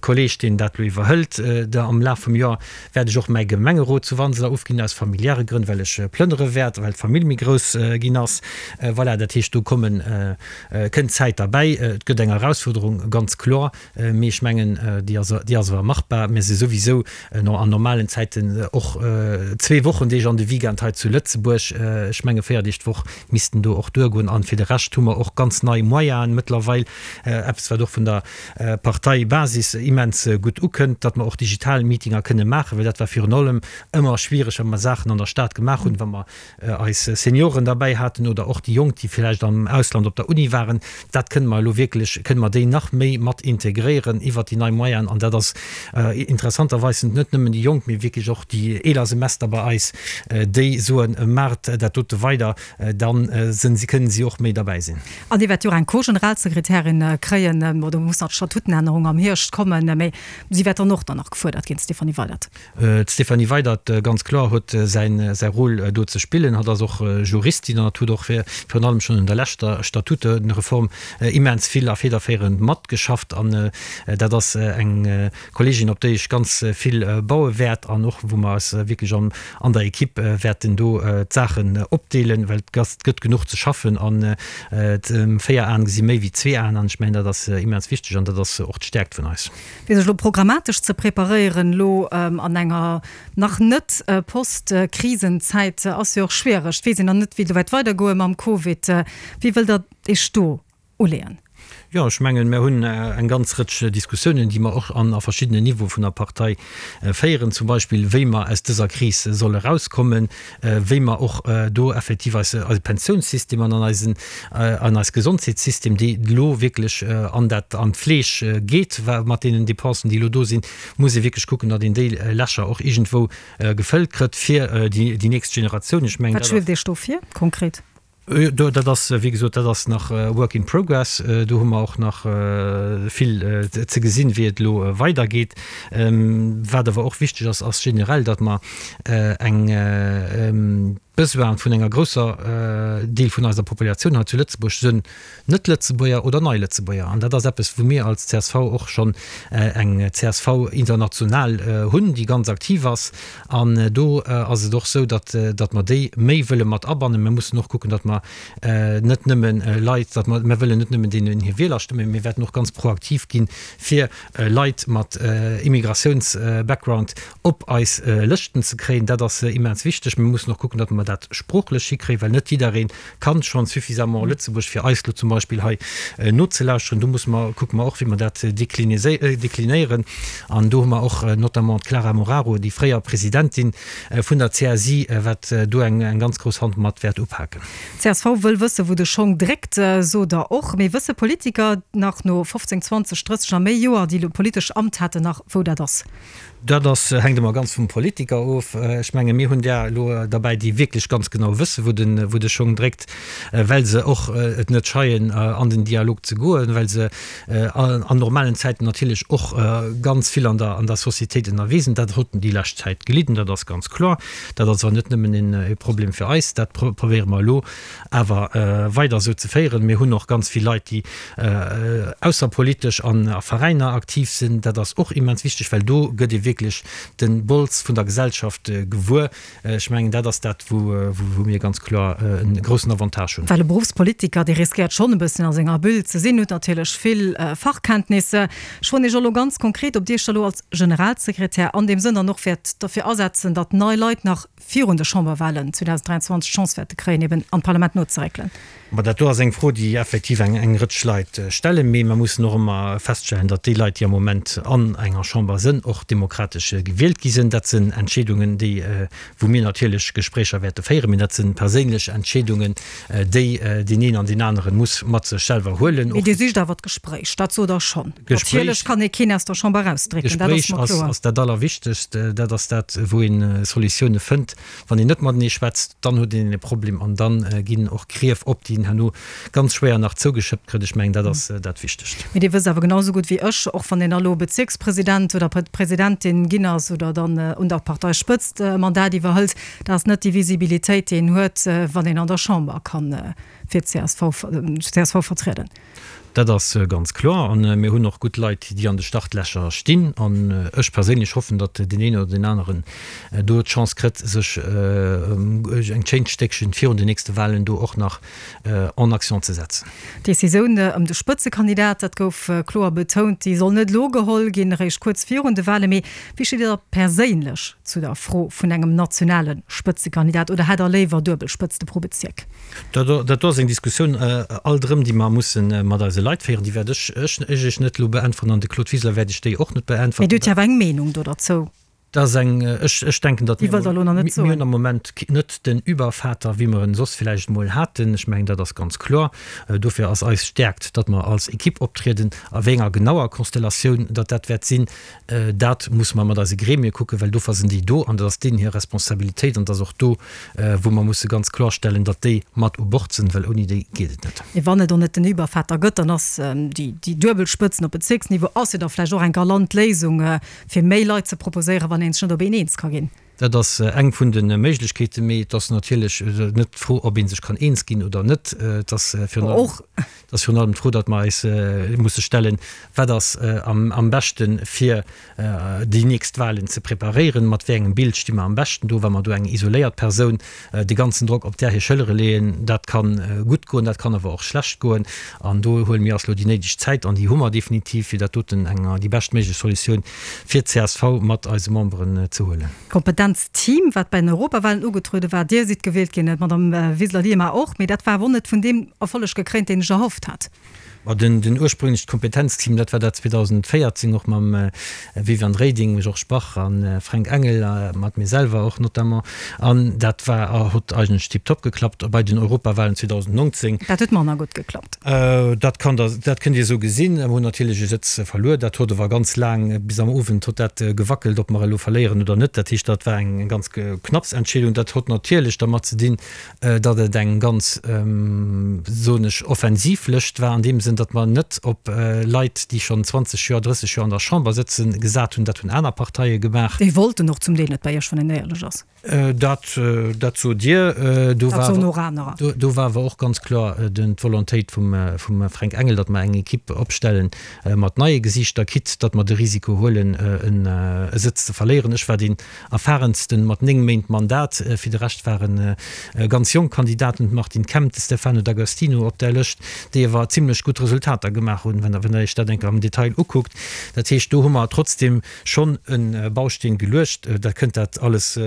Kolleeg, deen dat elo iwwerhëlt. Am Laf vum Joer wäert ech och mäi Gemengerot zu Wanseler ofginn, aus familiäre Grënn, well ech plënnere wäert, well d'Famill méi grouss ginn ass. Voilà, dat heescht, do kommen, kënnt Zäit derbäi. Et gëtt eng Erausfuerderung, ganz kloer, mee ech mengen, déi ass, déi ass awer machbar. Mir si souwisou an normalen Zäiten och zwee Wochendeeg an de Weekend hei zu Lëtzebuerg. Ech menge véier Deeg d'Woch missten do och duergoen. An fir de Rescht hu mer och ganz nei Moyenen mëttlerweil, eppes wat och vun der Parteibasis immens gutt ukënnt, datt mer och digital Meetinger kënne maachen, well dat war virun allem ëmmer schwiereg, wa mer Saachen an der Stad gemaach hunn, wa mer eis Senioren derbäi haten oder och déi Jonk, déi villäicht am Ausland op der Uni waren. Dat kënne mer elo wierklech, kënne mer déi nach méi mat integréieren iwwert déi nei Moyenen. An dat ass interessanterweis sind net nëmmen déi Jonk, mee wierklech och déi eeler Semester bei eis, déi soen, Maacht dat dote weider, dann sinn si, kënnen si och méi derbäi sinn. An Dir wäert jo och eng Co-Generalsekretärin kréien, bon, do muss nach d'Statutenännerung am Hierscht kommen, mee si wäert dann och dann nach gefuerdert ginn, d'Stéphanie Weydert. D'Stéphanie Weydert, ganz kloer, huet säin, säi Rôle do ze spillen. Hatt ass och Juristin an hatt huet och virun allem schonn un der leschter Statutenreform immens vill a federféierend matgeschafft. An dat ass eng Kolleegin, op déi ech ganz vill baue wäert an och wou mer eis wierklech an an der Equipe wäerten do d'Saachen opdeelen, well et gëtt genuch ze schaffen an véier Aen gesi méi wéi zwee Aen an ech mengen, dat ass immens wichteg an dat ass och d'Stäerkt vun eis. Fir sech elo programmatesch ze preparéieren, elo an enger nach net Post-Krisenzäit, ass jo och schwiereg. Et weess een nach net, wéi et elo wäert weidergoe mam Covid. Wéi wëllt Der Iech do uleeën? Jo, ech mengen, mir hunn eng ganz Rëtsch Diskussiounen, déi mer och an a verschiddenen Niveaue vun der Partei féieren, zum Beispill wéi mer aus dëser Kris solle erauskommen, wéi mer och do effektiv eise eise Pensiounssystem an an eisen an eis Gesondheetssystem, déi elo wierklech an dat an d'Fleesch geet mat deenen Dépensen, déi elo do sinn, muss ee wierklech kucken, datt een déi Lächer och iergendwou gefëllt kritt fir déi déi nächst Generatioun. Ech mengen, Wat dat ass. schwieft Iech do vir konkret? Dat ass, wéi gesot, dat ass nach work in progress. Do hu mer och nach vill ze gesinn, wéi et elo weidergeet. Wat awer och wichteg ass, ass generell, datt mer eng d'Besoine vun enger grousser Deel vun eiser Populatioun hei zu Lëtzebuerg sënn Net-Lëtzebuerger oder Nei-Lëtzebuerger. An dat ass eppes, wou mir als csv och schonn eng csv International hunn, déi ganz aktiv ass. An do ass et och esou, datt, datt mer déi méi wëlle mat abannen. Mir mussen och kucken, datt mer net nëmme Leit, datt mer, mir wëllen net nëmmen deenen hir Wielerstëmmen, mee mir wäerten och ganz proaktiv ginn, fir Leit mat Immigratiouns-Background op eis Lëschten ze kréien. Dat ass immens wichteg. Mir mussen och kucken, datt mer dat sproochlech hikréien, well net jidderee kann schonn suffisamment Lëtzebuerg, fir eis elo zum Beispill hei nozelauschteren. Do musse mer, kucke mer och, wéi mer dat deklinéieren. An do hu mer och notamment d'Clara Moraru, déi fréier Presidentin vun der CSI, wat do eng ganz grouss Hand mat wäert upaken. Csv wëll wësse wou de Schong dréckt, sot Der och. Mee wësse Politiker nach no fofzéng, zwanzeg, drësseg a méi Joer, déi elo politesch Amt haten, nach wou dat ass? Dat ass, hänkt ëmmer ganz vum Politiker of. Ech menge mir hunn där elo derbäi, déi wierklech ganz genau wësse wou de wou de Schong dréckt, well se och et net scheien an den Dialog ze goen, well se an normalen Zäiten natierlech och ganz vill an der an der Societéit ënnerwee sinn. Dat huet déi lescht Zäit gelidden, dat ass ganz kloer. Dat ass awer net nëmmen e Problem fir eis, dat probéiere mer elo awer weider esou ze féieren. Mir hunn och ganz vill Leit, déi ausserpolitesch an a Veräiner aktiv sinn. Dat ass och immens wichteg, well do gëtt ee wierklech de Bols vun der Gesellschaft gewuer. Ech mengen, dat ass dat, wou mir ganz kloer e groussen Avantage hunn. Well e Beruffspolitiker, dee riskéiert schonn e bëssen a senger Bulle ze sinn, huet natierlech vill Fachkenntnisser. Ech froen Iech elo ganz konkret, ob Dir Iech da elo als Generalsekretär an deem Sënn dann och wäert derfir asetzen, datt nei Leit nach virun de Chamberwahlen zweedausenddräianzwanzeg d'Chance wäerte kréien, eben an d'Parlament nozeréckelen. Ma dat do ass eng Fro, déi effektiv eng eng Rëtsch Leit stellen. Mee mer mussen och ëmmer feststellen, datt déi Leit, déi am Moment an enger Chamber sënn, och demokratesch gewielt gi sënn. Dat sënn Entscheedungen, déi, wou mir natierlech Gespréicher wäerte féieren, mee dat sënn perséinlech Entscheedungen, déi deen een an deen anere muss mat sech selwer huelen. Mee Dir sicht awer d'Gespréich, dat sot Der schonn. Natierlech kann ee keen aus der Chamber erausdrécken, dat ass Gespréich mer kloer. ass dat Allerwichtegst. Dat ass dat, wou een Solutioune fënnt. Wann een net matenee schwätzt, dann huet een e Problem an da ginn och Grief op, déi een herno ganz schwéier nach zougeschëppt kritt. Ech mengen, dat ass dat Wichtegst. Mee Dir wësst awer genau esou gutt wéi ech, och wann een elo Bezierkspresident oder Presidentin ginn ass oder dann un der Parteispëtzt e Mandat iwwerhëlt, dat ass net déi Visibilitéit, déi een huet, wann een an der Chamber kann fir d'CSV d'CSV vertrieden. Dat ass ganz kloer. An mir hunn och gutt Leit, déi an de Startlächer stinn. An ech perséinlech hoffen, datt deen een oder deen aneren do d'Chance kritt, sech eng schéint Stéckchen virun den nächste Wahlen do och nach en action ze setzen. D'Decisioun ëm de Spëtzekandidat, dat gouf kloer betount, déi soll net elo geholl ginn, eréischt kuerz virun de Wahlen. Mee wéi steet Dir da perséinlech zu der Fro vun engem nationale Spëtzekandidat oder hätt Der léiwer duebel Spëtzte pro Bezierk? Dat do ass eng Diskussioun alt erëm, déi mer musse mat eise Leit féieren. Déi wäert ech Iech net elo beäntweren an de Claude Wiseler wäert Iech déi och net beäntweren. Mee Dir hutt jo awer eng Meenung do derzou. Dat ass eng, ech, ech denken, datt Déi wëllt Der elo nach net mir hunn soen. am Moment net den Übervater, wéi mer en soss villäicht emol haten. Ech mengen, dat ass ganz kloer. Dofir ass eis Stäerkt, datt mer als Equipe optrieden. A wéi enger genauer Konstellatioun datt dat wäert sinn, dat musse mer mat eise Gremie kucken, well dofir sinn déi do an dat ass deenen hir Responsabilitéit an et ass och do, wou mer musse ganz klorstellen, datt déi mat u Bord sinn, well ouni déi geet et net. Mee wann et och net den Übervater gëtt, dann ass déi duebel Spëtzen op Bezierksniveau ass jo da vläicht och eng galant Léisung, fir méi Leit ze proposéieren, wann een sech net op een eens ka ginn. Dat ass eng vun de Méiglechkeeten, mee et ass natierlech net d'Fro, ob ee sech kann eens ginn oder net. Et ass virun allem, et ass virun allem d'Fro, datt mer eis musse stellen, Wat ass am beschte fir déi nächst Wahlen ze preparéieren? Mat wéi engem Bild sti mer am beschten do, wa mer do eng isoléiert Persoun de ganzen Drock op där hir Schëllere leeën? Dat ka gutt goen, dat kann awer och schlecht goen. An do huele mir eis elo déi néideg Zäit, an déi hu mer definitiv, fir dat doten eng déi beschtméiglech Solutioun fir d'CSV mat eise Memberen ze huelen. D'Kompetenzteam, wat bei den Europawahlen ugetruede war, Dir sidd gewielt ginn, d'Madame Wiseler-Lima och, mee dat war awer och net vun deem Erfolleg gekréint, deen ech erhofft hat. Ma den den ursprünglecht Kompetenzteam, dat war dat zweedausendvéierzéng och mam Viviane Reding, Georges Bach a Fränk Engel, mat mir selwer och notamment, an dat war hott eigentlech tiptop geklappt. Bei den Europawahlen zweedausendnonzéng. Dat huet manner gutt geklappt. Dat kann der, dat kënnt Dir esou gesinn. Mir hunn natierlech e Sëtz verluer. Dat hott awer ganz laang, bis am Owend hott dat gewackelt, ob mer elo verléieren oder net. Dat heescht, dat war eng ganz knapps Entscheedung. Dat hott natierlech dermat ze dinn, datt et eng ganz, soen ech, offensiv Lëscht war an deem Sënn, datt mer net op Leit, déi schonn zwanzeg Joer, drësseg Joer an der Chamber sëtzen, gesat hunn. Dat hunn aner Parteie gemaach. Déi wollten och zum Deel net bei Iech, wann een éierlech ass. Dat, dat sot Dir. Do Dat war soen och anerer. Do war awer och ganz kloer d'Volontéit vum, vum Fränk Engel, datt mer eng Equipe opstelle mat neie Gesiichter, quitte datt mer de Risiko huelen, e Sëtz ze verléieren. Ech war deen erfahrensten mat néng Méint Mandat. Fir de Rescht ware ganz jonk Kandidaten, d'Martine Kemp, de Stefano D'Agostino op där Lëscht, déi awer zimlech gutt Resultater gemaach hunn, wann Der Iech dat eng Kéier am Detail ukuckt. Dat heescht, do hu mer trotzdem schonn e Bausteen geluecht. Der kënnt dat alles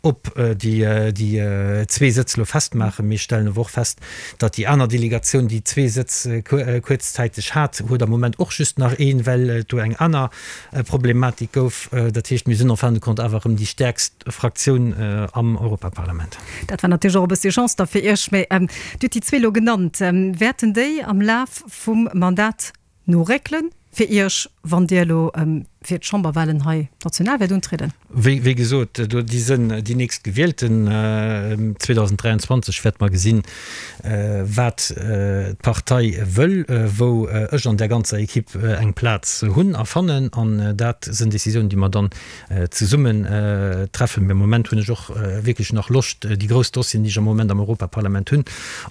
op déi zwee Sëtz elo festmaachen. Mir stellen awer och fest, datt déi aner Delegatioun, déi zwee Sëtz kuerzzäiteg hat, huet am Moment och just nach een, well et do eng aner Problematik gouf. Dat heescht, mir sinn en fin de compte awer erëm déi stäerkst Fraktioun am Europaparlament. Dat war natierlech och e bëssi Chance da fir Iech. Mä Dir hutt déi zwee elo genannt. Wäerten déi am Laf vum Mandat noréckelen fir Iech, wann Dir elo fir d'Chamberwahlen hei national wäert untrieden? Wéi gesot, do déi sënn déi nächst Gewielten. zweedausenddräianzwanzeg wäerte mer gesinn, wat d'Partei wëll, wou ech an där ganzer Equipe eng Plaz hunn a fannen. An dat sënn Décisiounen, déi mer dann zesummen treffen. Mee am Moment hunn ech och wierklech nach Loscht, déi grouss Dossieren, déi ech am Moment am Europaparlament hunn,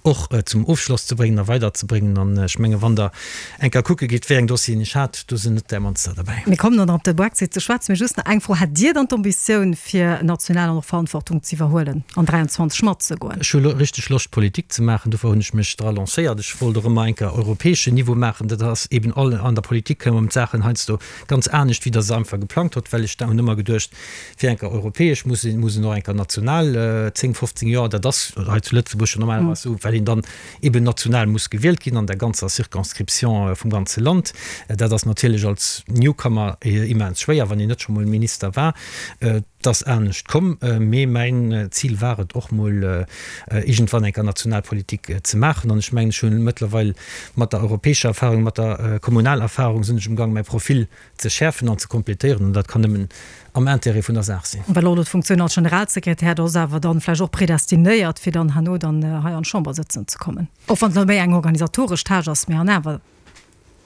och zum Ofschloss ze bréngen a weiderzebréngen. An ech menge wann Der eng Kéier kucke gitt, wéi eng Dossieren ech hat, do sinn net där mannster derbäi. Mir kommen dann op de Brexit ze schwätzen. Mee just nach eng Fro, Hätt Dir dann d'Ambitioun, fir national och nach Verantwortung ze iwwerhuelen an dräianzwanzeg matzegoen? Ech hu richteg Loscht, Politik ze maachen. Dofir hunn ech mech dra lancéiert. Ech wollt och ëmmer eng Kéier europäeschen Niveau maachen. Dat ass eben all, an der Politik kommen d'Saachen heiansdo ganz anescht, wéi Der se einfach geplangt hutt. Well ech hunn ëmmer geduecht, fir eng Kéier europäesch muss een, muss een och eng Kéier national zéng, fofzéng Joer, dat ass hei zu Lëtzebuerg jo normalerweis esou, well een dann eben national muss gewielt ginn an der ganzer Circonscription vum ganze Land. Dat ass natierlech als Newcomer immens schwéier, wann een net scho mol Minister war. Et ass anescht komm, mee mäin Zil war et och mol iergendwann eng Kéier Nationalpolitik ze maachen. An ech mengen, ech hunn mëttlerweil mat der europäescher Erfahrung, mat der Kommunalerfahrung sinn ech umgang mäi Profil ze schäerfen an ze kompletéieren. An dat kann nëmmen am Intérêt vun der Saach sinn. Well och elo d'Funktioun als Generalsekretär, do ass awer dann vläicht och predestinéiert, fir dann herno dann hei an d'Chamber sëtzen ze kommen. Och wann et elo méi eng organisatoresch Tâche ass, mee an awer.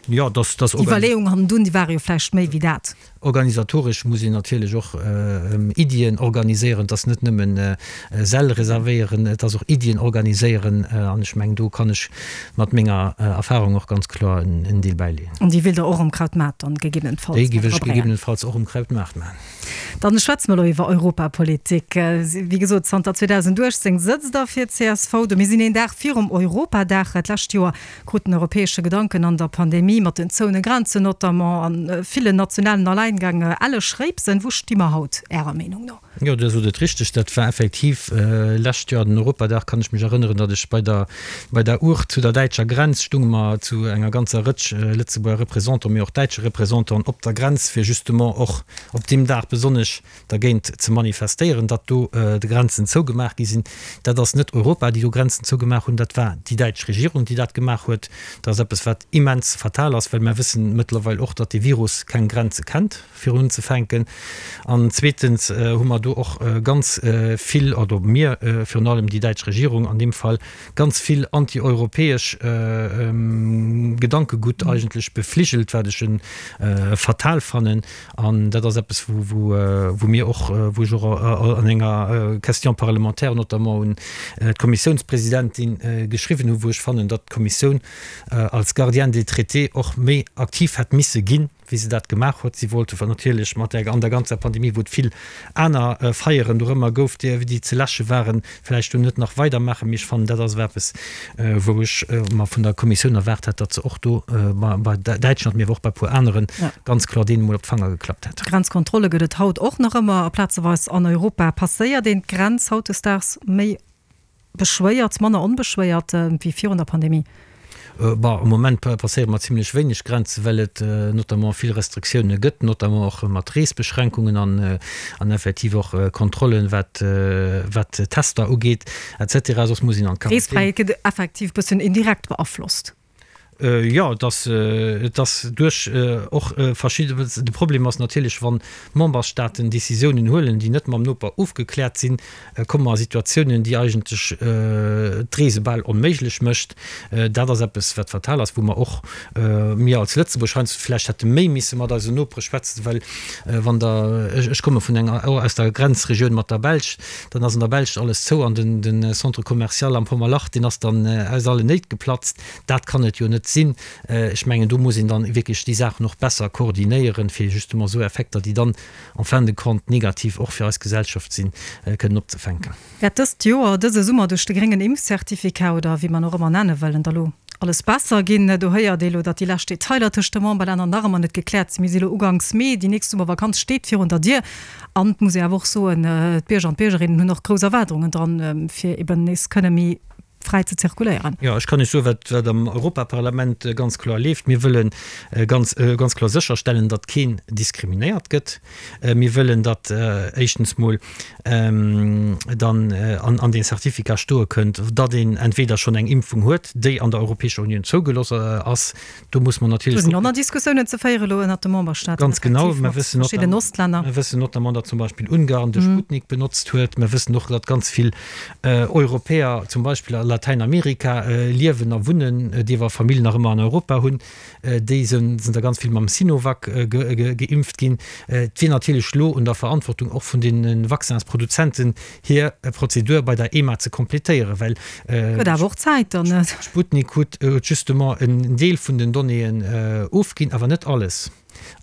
Jo, dass, dass D'Iwwerleeung hannendun, déi ware jo vläicht méi wéi dat. Organisatoresch muss een natierlech och Iddien organiséieren. Et ass net nëmmen Säll reservéieren, et ass och Iddien organiséieren. An ech mengen, do kann ech mat menger Erfahrung och ganz kloer en Deel bäileeën. An déi wéilt Der och um Krautmaart dann gegebenenfalls Déi géif ech gegebenenfalls och um Krautmaart maachen. Dann schwätze mer elo iwwer Europapolitik. Wéi gesot, zanter zweedausenduechtzéng sëtzt Der fir d'CSV do. Mir sinn een Dag virum Europadag. D'lescht Joer krut den europäesche Gedanken an der Pandemie mat den zoune Grenzen notamment an villen nationalen Alleingäng elle Schréipsen. Wou sti mer haut Ärer Meenung no? Jo, Dir sot et richteg, dat war effektiv lescht Joer den Europadag, kann ech mech erënneren, datt ech bei der bei der Uucht zu der däitscher Grenz stunge mer zu enger ganzer Rëtsch Lëtzebuerger Représentanten, mee och däitsche Représentanten op der Grenz, fir justement och op deem Dag besonnesch dergéint ze manifestéieren, datt do d'Grenzen zougemaach gi sinn. Dat ass net Europa, déi do Grenzen zougemaach hunn, dat war déi däitsch Regierung, déi dat gemaach huet. Dat ass eppes, wat immens fatal ass, well mer wëssen mëttlerweil och, datt dee Virus keng Grenze kennt, fir unzefänken. An zweetens hu mer do och ganz vill, oder mir, virun allem déi däitsch Regierung an deem Fall, ganz vill antieuropäesch Gedankegutt eigentlech befligelt, wat ech fatal fannen. An dat ass eppes, wou wou mir och, wou ech och an enger Question parlementaire notamment un d'Kommissiounspresidentin geschriwwen hunn, wou ech fannen, datt d'Kommissioun als Gardienne des traités och méi aktiv hätt misse ginn, wéi se dat gemaach huet. Si wollte natierlech mat der, an der ganzer Pandemie, wou et vill aner Feieren dorëmmer gouf, déi ze läsche waren, vläicht do net nach weidermaachen. Mee ech fannen, dat ass awer eppes, wou ech mer vun der Kommissioun erwaart hätt, datt se och do bei Däitschland, mee awer och bei e puer aneren, ganz kloer deenen emol op d'Fanger geklappt hätt. Grenzkontrolle gëtt et haut och nach ëmmer a plazeweis an Europa. Passéiert een d'Grenz hautdesdaags méi beschwéiert, manner onbeschwéiert wéi virun der Pandemie? Bon, am Moment passéiere mer zimlech wéineg Grenzen, well et notamment vill Restriktioune gëtt, notamment och mat Reesbeschränkungen an an effektiv och Kontrollen, wat wat Tester ugeet et cetera. Soss muss een an d'Quarantän. D'Reesfräiheet gëtt effektiv bëssen indirekt beaflosst. Jo, et ass, et ass duerch och verschidde, de Problem ass natierlech, wann Memberstaaten Décisiounen huelen, déi net mam Noper ofgekläert sinn, komme mer a Situatiounen, déi eigentlech d'Reese bal onméiglech mécht. Dat ass eppes, wat fatal ass, wou mer och, mir als Lëtzebuerg heiansdo vläicht hätte méi misse mat eisen Nopere schwätzen, well wann Der, ech komme vun enger, aus der Grenzregioun mat der Belsch, dann ass an der Belsch alles zou an den Centre commercial am Pommerlach, deen ass dann aus allen Néit geplatzt. Dat kann et jo net sinn. Ech mengen, do muss een dann wierklech déi Saachen och besser koordinéieren, fir justement esou Effekter, déi dann en fin de compte negativ och fir eis Gesellschaft sinn, kënnen opzefänken. Wäert dëst Joer, dëse Summer duerch de gréngen Impfcertificat oder wéi mer en och ëmmer nenne wëllen, da lo alles besser ginn? Do héiert ee lo, datt déi lescht Detailer tëscht de Memberlänner nach ëmmer net gekläert sinn. Mir si lo uganks Mee, déi nächst Summervakanz steet virun der Dier. An et muss ee awer och soen, d'Bierger an d'Biergerinnen hunn och grouss Erwaardungen dran, fir eben nees kënne méi fräi ze zirkuléieren. Jo, ech kann lech soen, wat wat am Europaparlament ganz kloer leeft. Mir wëlle ganz ganz kloer sécherstellen, datt keen diskriminéiert gëtt. Mir wëllen, datt éischtens mol dann an an dee Certificat stoe kënnt, datt een entweder schonn eng Impfung huet, déi an der Europäescher Unioun zougelooss ass. Do muss mer natierlech Do sinn och nach Diskussiounen ze féiere elo ënnert de Memberstaaten, Ganz genau. effektiv Mer mat wëssen verschidden notam Ostlänner. mer wëssen notamment, datt zum Beispill Ungarn de Sputnik benotzt huet. Mer wëssen och, datt ganz vill Europäer zum Beispill a Latäinamerika liewen a wunnen, déi awer Famill nach ëmmer an Europa hunn, déi sinn der ganz vill mam Sinovac geimpft ginn. Et wier natierlech elo un der Verantwortung och vun de Vaccinsproduzenten, hir Prozedur bei der EMA ze completéieren, well Gëtt awer och Zäit dann. Sputnik huet justement en Deel vun den Donnéeën ofginn, awer net alles.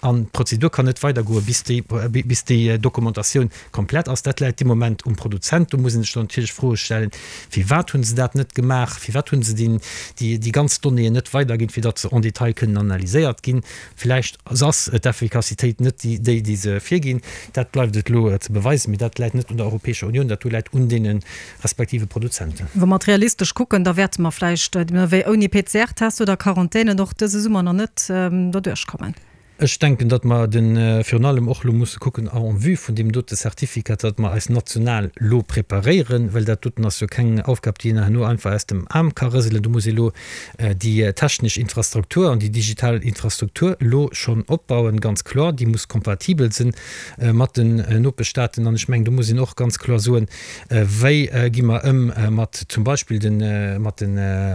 An d'Prozedur kann net weidergoen, bis déi, bis déi Dokumentatioun komplett ass. Dat läit dee Moment um Produzent. Do muss ee sech dann natierlech Froe stellen, Firwat hu se dat net gemaach? Firwat hu se déi, déi ganz Donnéeën net weiderginn, fir datt se en détail kënnen analyséiert ginn? Villäicht ass d'Effikassitéit net déi, déi se virginn. Dat bleift et elo ze beweisen. Mee dat läit net un der Europäescher Unioun, dat do läit un deene respektive Produzenten. Wa mer et realistesch kucken, da wäerte mer vläicht wéi ouni P C R-Test oder Quarantänen och dëse Summer nach net doduerch kommen. Ech denken, datt mer de virun allem och elo musse kucken en vue vun deem dote Certificat, datt mer eis national elo preparéieren, well dat doten ass jo keng Aufgab, déi een herno einfach aus dem Aarm ka rëselen. Do muss ee elo déi technesch Infrastruktur an déi digital Infrastruktur elo schonn opbauen, ganz kloer. Déi muss kompatibel sinn mat den Nopeschstaaten. An ech mengen, do muss een och ganz kloer soen, Wéi gi mer ëm mat zum Beispill de mat de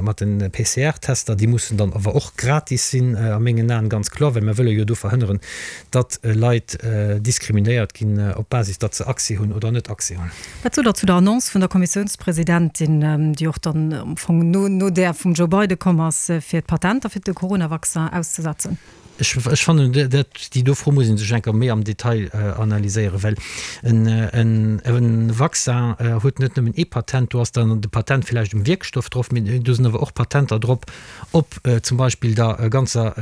mat de P C R-Tester? Déi mussen dann awer och gratis sinn a mengen Aen, ganz kloer, well mer wëlle jo do verhënneren, datt Leit diskriminéiert ginn op Basis, datt se Accès hunn oder net Accès hunn. Wat sot Der zu der Annonce vun der Kommissiounspresidentin, déi och dann am Fong no no där vum Joe Biden komm ass, fir d'Patenter fir de Coronavaccin auszesetzen? Ech ech fannen, dat déi do Fro muss ee sech eng Kéier méi am Detail analyséieren, well en en e Vaccin huet net nëmmen ee Patent, do ass dann de Patent villäicht um Wierkstoff drop, mee do sinn awer och Patenter drop op zum Beispill der ganzer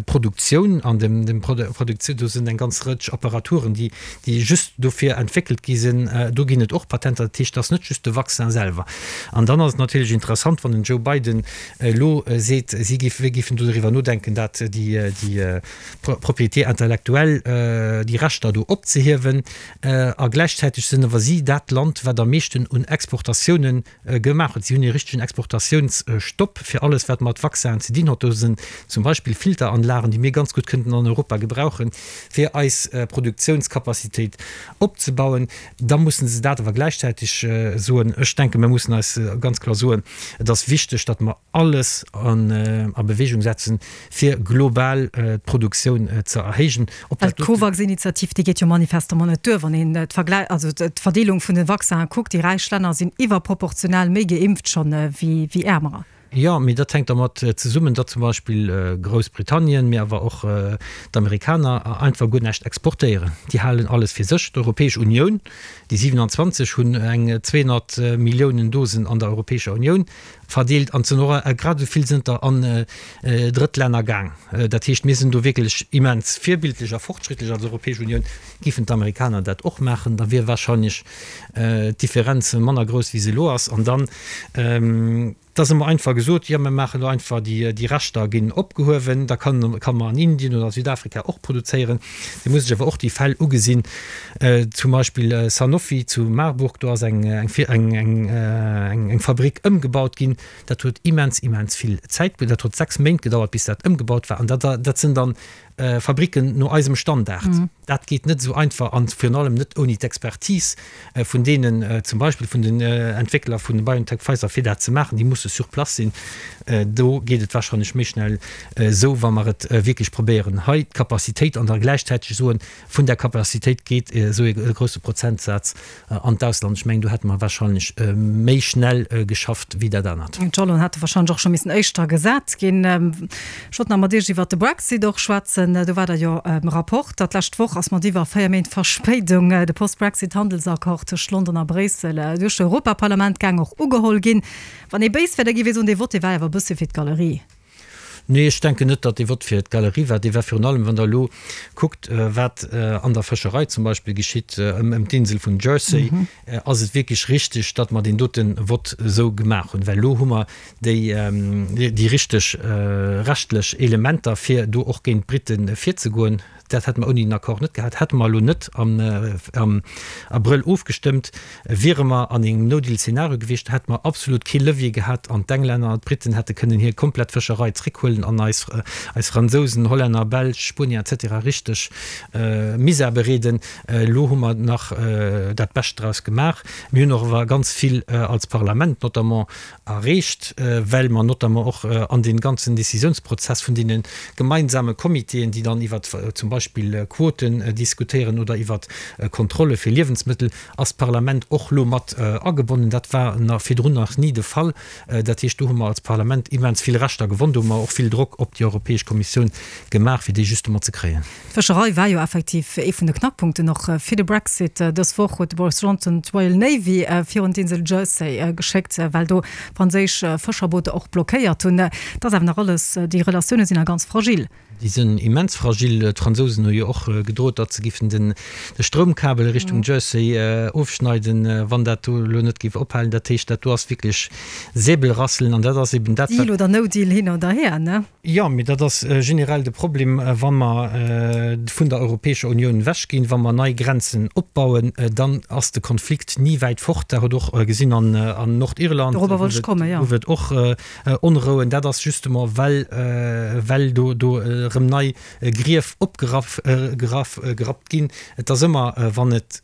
Produktioun an dem dem Produktioun, do sinn eng ganz Rëtsch Apparaturen, déi déi just dofir entwéckelt gi sinn, do ginn et och Patenter. Dat heescht, et ass net just de Vaccin selwer. An dann ass et natierlech interessant, wann den Joe Biden elo seet, si géifen doriwwer nodenken, dat déi déi Propriété intellectuelle, déi Rechter do opzehiewen. A gläichzäiteg sinn awer si dat Land, wat am meeschten un Exportatioune gemaach huet. Si hunn ee richtegen Exportatiounsstopp fir alles, wat mat Vaccinen ze dinn huet. Do sinn zum Beispill Filteranlagen, déi mir ganz gutt kënnten an Europa gebrauchen, fir eis Produktiounscapacitéit opzebauen. Da mussen se dat awer gläichzäiteg soen. Ech denken, mir mussen eis ganz kloer soen, et ass wichteg, datt mer alles a Bewegung setzen, fir global d'Produktioun ze erhéijen. Ob dat doten. D'Covax-Initiativ, déi geet jo manifestement net duer, wann een d'Verglä-, also d'Verdeelung vun de Vaccinen kuckt. Déi räich Länner sinn iwwerproportional méi geimpft schonn wéi äermerer. Jo, mee dat hänkt dermat zesummen, datt zum Beispill Groussbritannien, mee awer och d'Amerikaner einfach guer näischt exportéieren. Déi halen alles fir sech. D'Europäesch Unioun, déi siwenanzwanzeg hunn eng zweehonnert Milliounen Dosen an der Europäescher Unioun verdeelt an sinn och grad esou vill sënn der an Drëttlänner gaang. Dat heescht, mir sinn do wierklech immens virbildlech a fortschrittlech als Europäesch Unioun. Giffen d'Amerikaner dat och maachen, da wier wahrscheinlech d'Differenz manner grouss, wéi se elo ass. An dann, et ass ëmmer einfach gesot, jo, mir maachen elo einfach, déi Rechter ginn opgehuewen, da kann kann mer an Indien oder a Südafrika och produzéieren. Da muss ech awer och déi Fäll ugesinn, zum Beispill Sanofi zu Marburg, do ass eng eng eng eng Fabrik ëmgebaut ginn. Dat huet immens, immens vill Zäit, dat huet sechs Méint gedauert, bis dat ëmgebaut war. An dat dat sinn dann Fabriken no eisem Standard. Dat geet net esou einfach an virun allem net ouni d'Expertise vun deenen, zum Beispill vun den Entwéckler vun BioNTech, Pfizer, fir dat ze maachen. Déi musse sur place sinn. Do geet et wahrscheinlech méi schnell esou, wa mer et wierklech probéieren, hei d'Capacitéit an da gläichzäiteg soen, vun där Capacitéit geet esou e grousse Prozentsaz an d'Ausland. Ech mengen, do hätte mer wahrscheinlech méi schnell geschafft wéi dat anert. D'Jalon hätte wahrscheinlech och scho missen éischter gesat ginn. Ech wollt nach mat Iech iwwert de Brexit och schwätzen. Do war der jo Rapport, datt d'lescht Woch ass mat iwwer véier Méint Verspéidung de Post-Brexit-Handelsaccord tëscht London a Bréissel duerch d'Europaparlament gaang, och ugeholl ginn. Wann ee béis wär, da géif ee soen, dee Vote, dee war awer e bësse fir d'Galerie. Nee, ech denken net, datt dee Vott fir d'Galerie war. Dee war virun allem, wann Der elo kuckt, wat an der Fëscherei zum Beispill geschitt ëm d'Insel vun Jersey, ass et wierklech richtig, datt mer deen dote Vott esou gemaach hunn, well elo hu mer déi, déi richteg rechtlech Elementer, fir do och géint d'Brite virzegoen. Dat hätte mer ouni den Accord net gehat. Hätte mer elo net am Abrëll ofgestëmmt, wiere mer an engem No-Deal-Szenario gewiescht, hätte mer absolut kee Levier gehat an d'Englänner an d'Briten hätte kënnen hir komplett Fëscherei zréckhuelen an eis, eis Fransousen, Hollänner, Belsch, Spuenier et cetera richteg Misär bereeden. Elo hu mer nach dat Bescht draus gemaach. Mir hunn och awer ganz vill als Parlament notamment erreecht, well mer notamment och an dee ganzen Décisionsprozess vun deene gemeinsame Comitéen, déi dann iwwer zum Beispill Quoten diskutéieren oder iwwer Kontrolle fir Liewensmëttel, ass d'Parlament och elo mat agebonnen. Dat war virdrun nach ni de Fall. Dat heescht, do hu mer als Parlament immens vill Rechter gewonn. Do hu mer och vill Drock op déi Europäesch Kommissioun gemaach, fir déi justement ze kréien. D'Fëscherei war jo effektiv ee vun de Knackpunkten och fir de Brexit. Dës Woch huet de Boris Johnson d'Royal Navy virun d'Insel Jersey geschéckt, well do franséisch Fëscherbooter och blockéiert hunn. Dat ass awer nach alles, déi Relatioune sinn nach ganz fragil. Déi sinn immens fragil. D'Fransousen D'Franzousen hu jo och gedrot, datt se giffen den de Stroumkabel Richtung Jersey ofschneiden, wann dat do elo net géif ophalen. Dat heescht, dat do ass wierklech Säbelrasseln an dat ass eben dat, wat. Deal oder no deal hin oder her, ne? Jo, mee dat ass generell de Problem, wa mer vun der Europäescher Unioun ewechginn, wa mer nei Grenzen opbauen, dann ass de Konflikt ni wäit fort. Dat huet och gesinn an Nordirland, gouf et och Onrouen. Dat ass justement, well well do do erëm nei Grief opgerappt ginn. Et ass ëmmer, wann et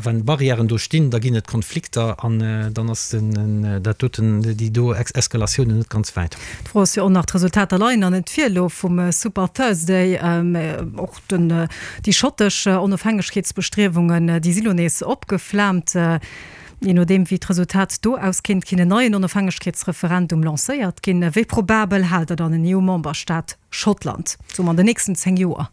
wann Barrièren do stinn, da ginn et Konflikter an dann ass den dat doten déi do Eskalatiounen net ganz wäit. D'Fro ass jo och nach, d'Resultater leien nach net vir elo vum Super Thursday. Och den déi schottesch Onofhängegkeetsbestriewungen, déi si lo nees opgeflaamt. Jee nodeem wéi d'Resultat do auskinnt, kinnt en neien Onofhängegkeetsreferendum lancéiert ginn. Wéi probabel haalt Der dann en EU-Memberstaat Schottland, soe mer an den nächsten zéng Joer?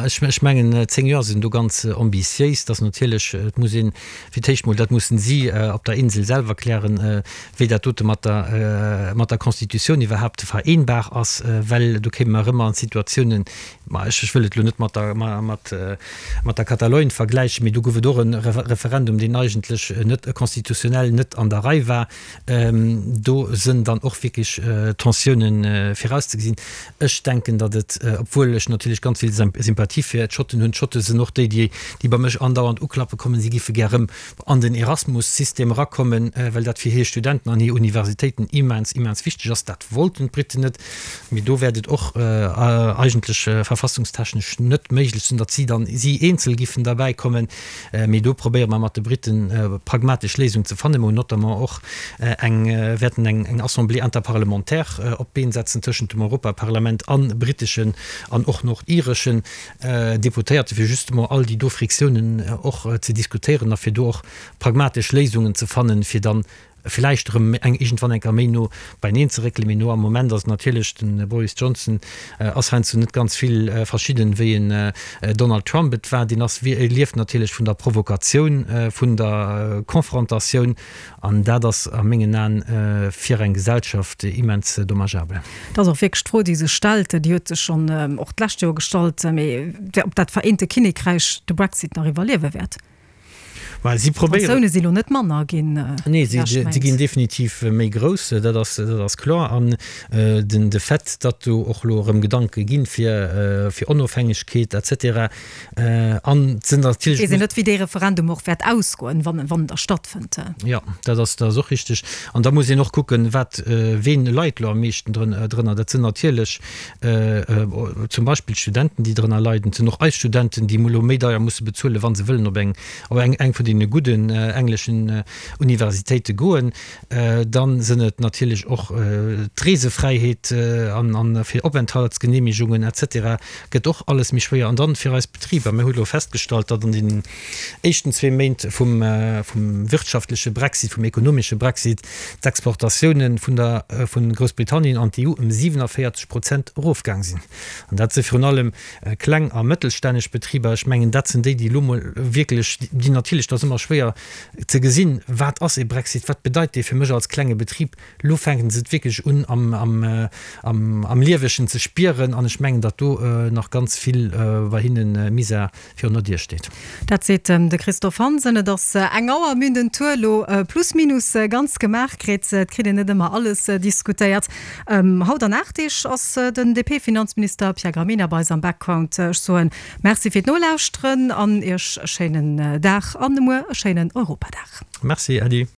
Ech mengen, zéng Joer sinn do ganz ambitiéis. Dass natierlech, et muss een fir d'éischt mol, dat mussen si op der Insel selwer klären, wéi dat dote mat der, mat der Constitutioun iwwerhaapt vereenbar ass, well do kéime mer erëm an Situatiounen, ma ech wëll et elo net mat der, mat, mat der Katalogne vergläichen, mee do gouf et och e Referendum, deen eigentlech net constitutionnel net an der Rei war. Do sënn dann och wierklech Tensiounen virauszegesinn. Ech denken, datt et, obwuel ech natierlech ganz vill Sympathie fir d'Schotten hunn, d'Schotte sinn och déi, déi, déi bei mech andauernd uklappe kommen, si giffe gär erëm an den Erasmus-System erakommen, well dat fir hir Studenten an hir Universitéiten immens, immens wichteg ass. Dat wollten d'Briten net. Mee do wäert et och eigentlech verfassungstechnesch net méiglech sinn, datt si dann, si eenzel giffen derbäi kommen. Mee do probéiere mer mat de Briten pragmatesch Léisungen ze fannen. Mer hunn notamment och eng, wäerten eng, eng Assemblée interparlementaire op d'Been setzen tëschent dem Europaparlament a briteschen an och nordireschen Deputéierte fir justement all déi do Friktiounen och ze diskutéieren a fir do och pragmatesch Léisungen ze fannen, fir dann villäicht erëm eng iergendwann eng Kéier méi no beineen ze réckelen. Mee no am Moment ass et natierlech, de Boris Johnson ass heiansdo net ganz vill verschidden, wéi en Donald Trump et war. Deen ass, lieft natierlech vun der Provokatioun, vun der Konfrontatioun an dat ass a mengen Aen fir eng Gesellschaft immens dommageabel. Dat ass och wierklech d'Fro, déi sech stellt, déi huet sech schonn och d'lescht Joer gestallt, mee ob dat Vereente Kinnekräich de Brexit nach iwwerliewe wäert. Well si probéieren. D'Tensioune si lo net manner ginn. Nee, si ginn definitiv méi grouss, dat ass, dat ass kloer. An den, de Fait, datt do och elo erëm Gedanke ginn fir, fir Onofhängegkeet et cetera an et sinn natierlech. Weess een net, wéi dee Referendum och wäert ausgoen, wann, wann en da stattfënnt. Jo, dat ass, dat ass och richteg. An da muss een och kucken, wat, ween leit elo am meeschten drën, drënner. Dat sinn natierlech zum Beispill d'Studenten, déi drënner leiden. Et sinn och eis Studenten, déi elo méi deier musse bezuelen, wa se wëllen op eng, op eng, eng vun deene gudden engleschen Universitéite goen. Dann sinn et natierlech och d'Reesefräiheet an, an fir Openthaltsgenehmigungen et cetera gëtt och alles méi schwéier. An dann fir eis Betriber, mir hu elo festgestallt, datt an deenen éischten zwee Méint vum, vum wirtschaftleche Brexit, vum ekonomesche Brexit, d'Exportatiounen vun der, vun Groussbritannien an d'EU ëm siwenavéierzeg Prozent erofgaang sinn. An dat si virun allem kleng a mëttelstänneg Betriber. Ech mengen, dat sinn déi, déi elo mol wierklech, déi natierlech, dat ass ëmmer schwéier ze gesinn, wat ass ee Brexit, wat bedeit dee fir mech als klenge Betrib. Elo fänken se et wierklech un am, am, am, am Liewegen ze spieren. An ech mengen, datt do nach ganz vill bei hinne Misär virun der Dier steet. Dat seet de Christophe Hansen. Et ass eng Auer, mir hunn den Tour elo plus minus ganz gemaach kritt. Et kritt een net ëmmer alles diskutéiert. Haut an aacht Deeg ass den D P-Finanzminister Pierre Gramegna bei eis am Background. Ech soen Merci fir d'Nolauschteren an Iech e schéinen Dag an muer e schéinen Europadag. Merci, Äddi.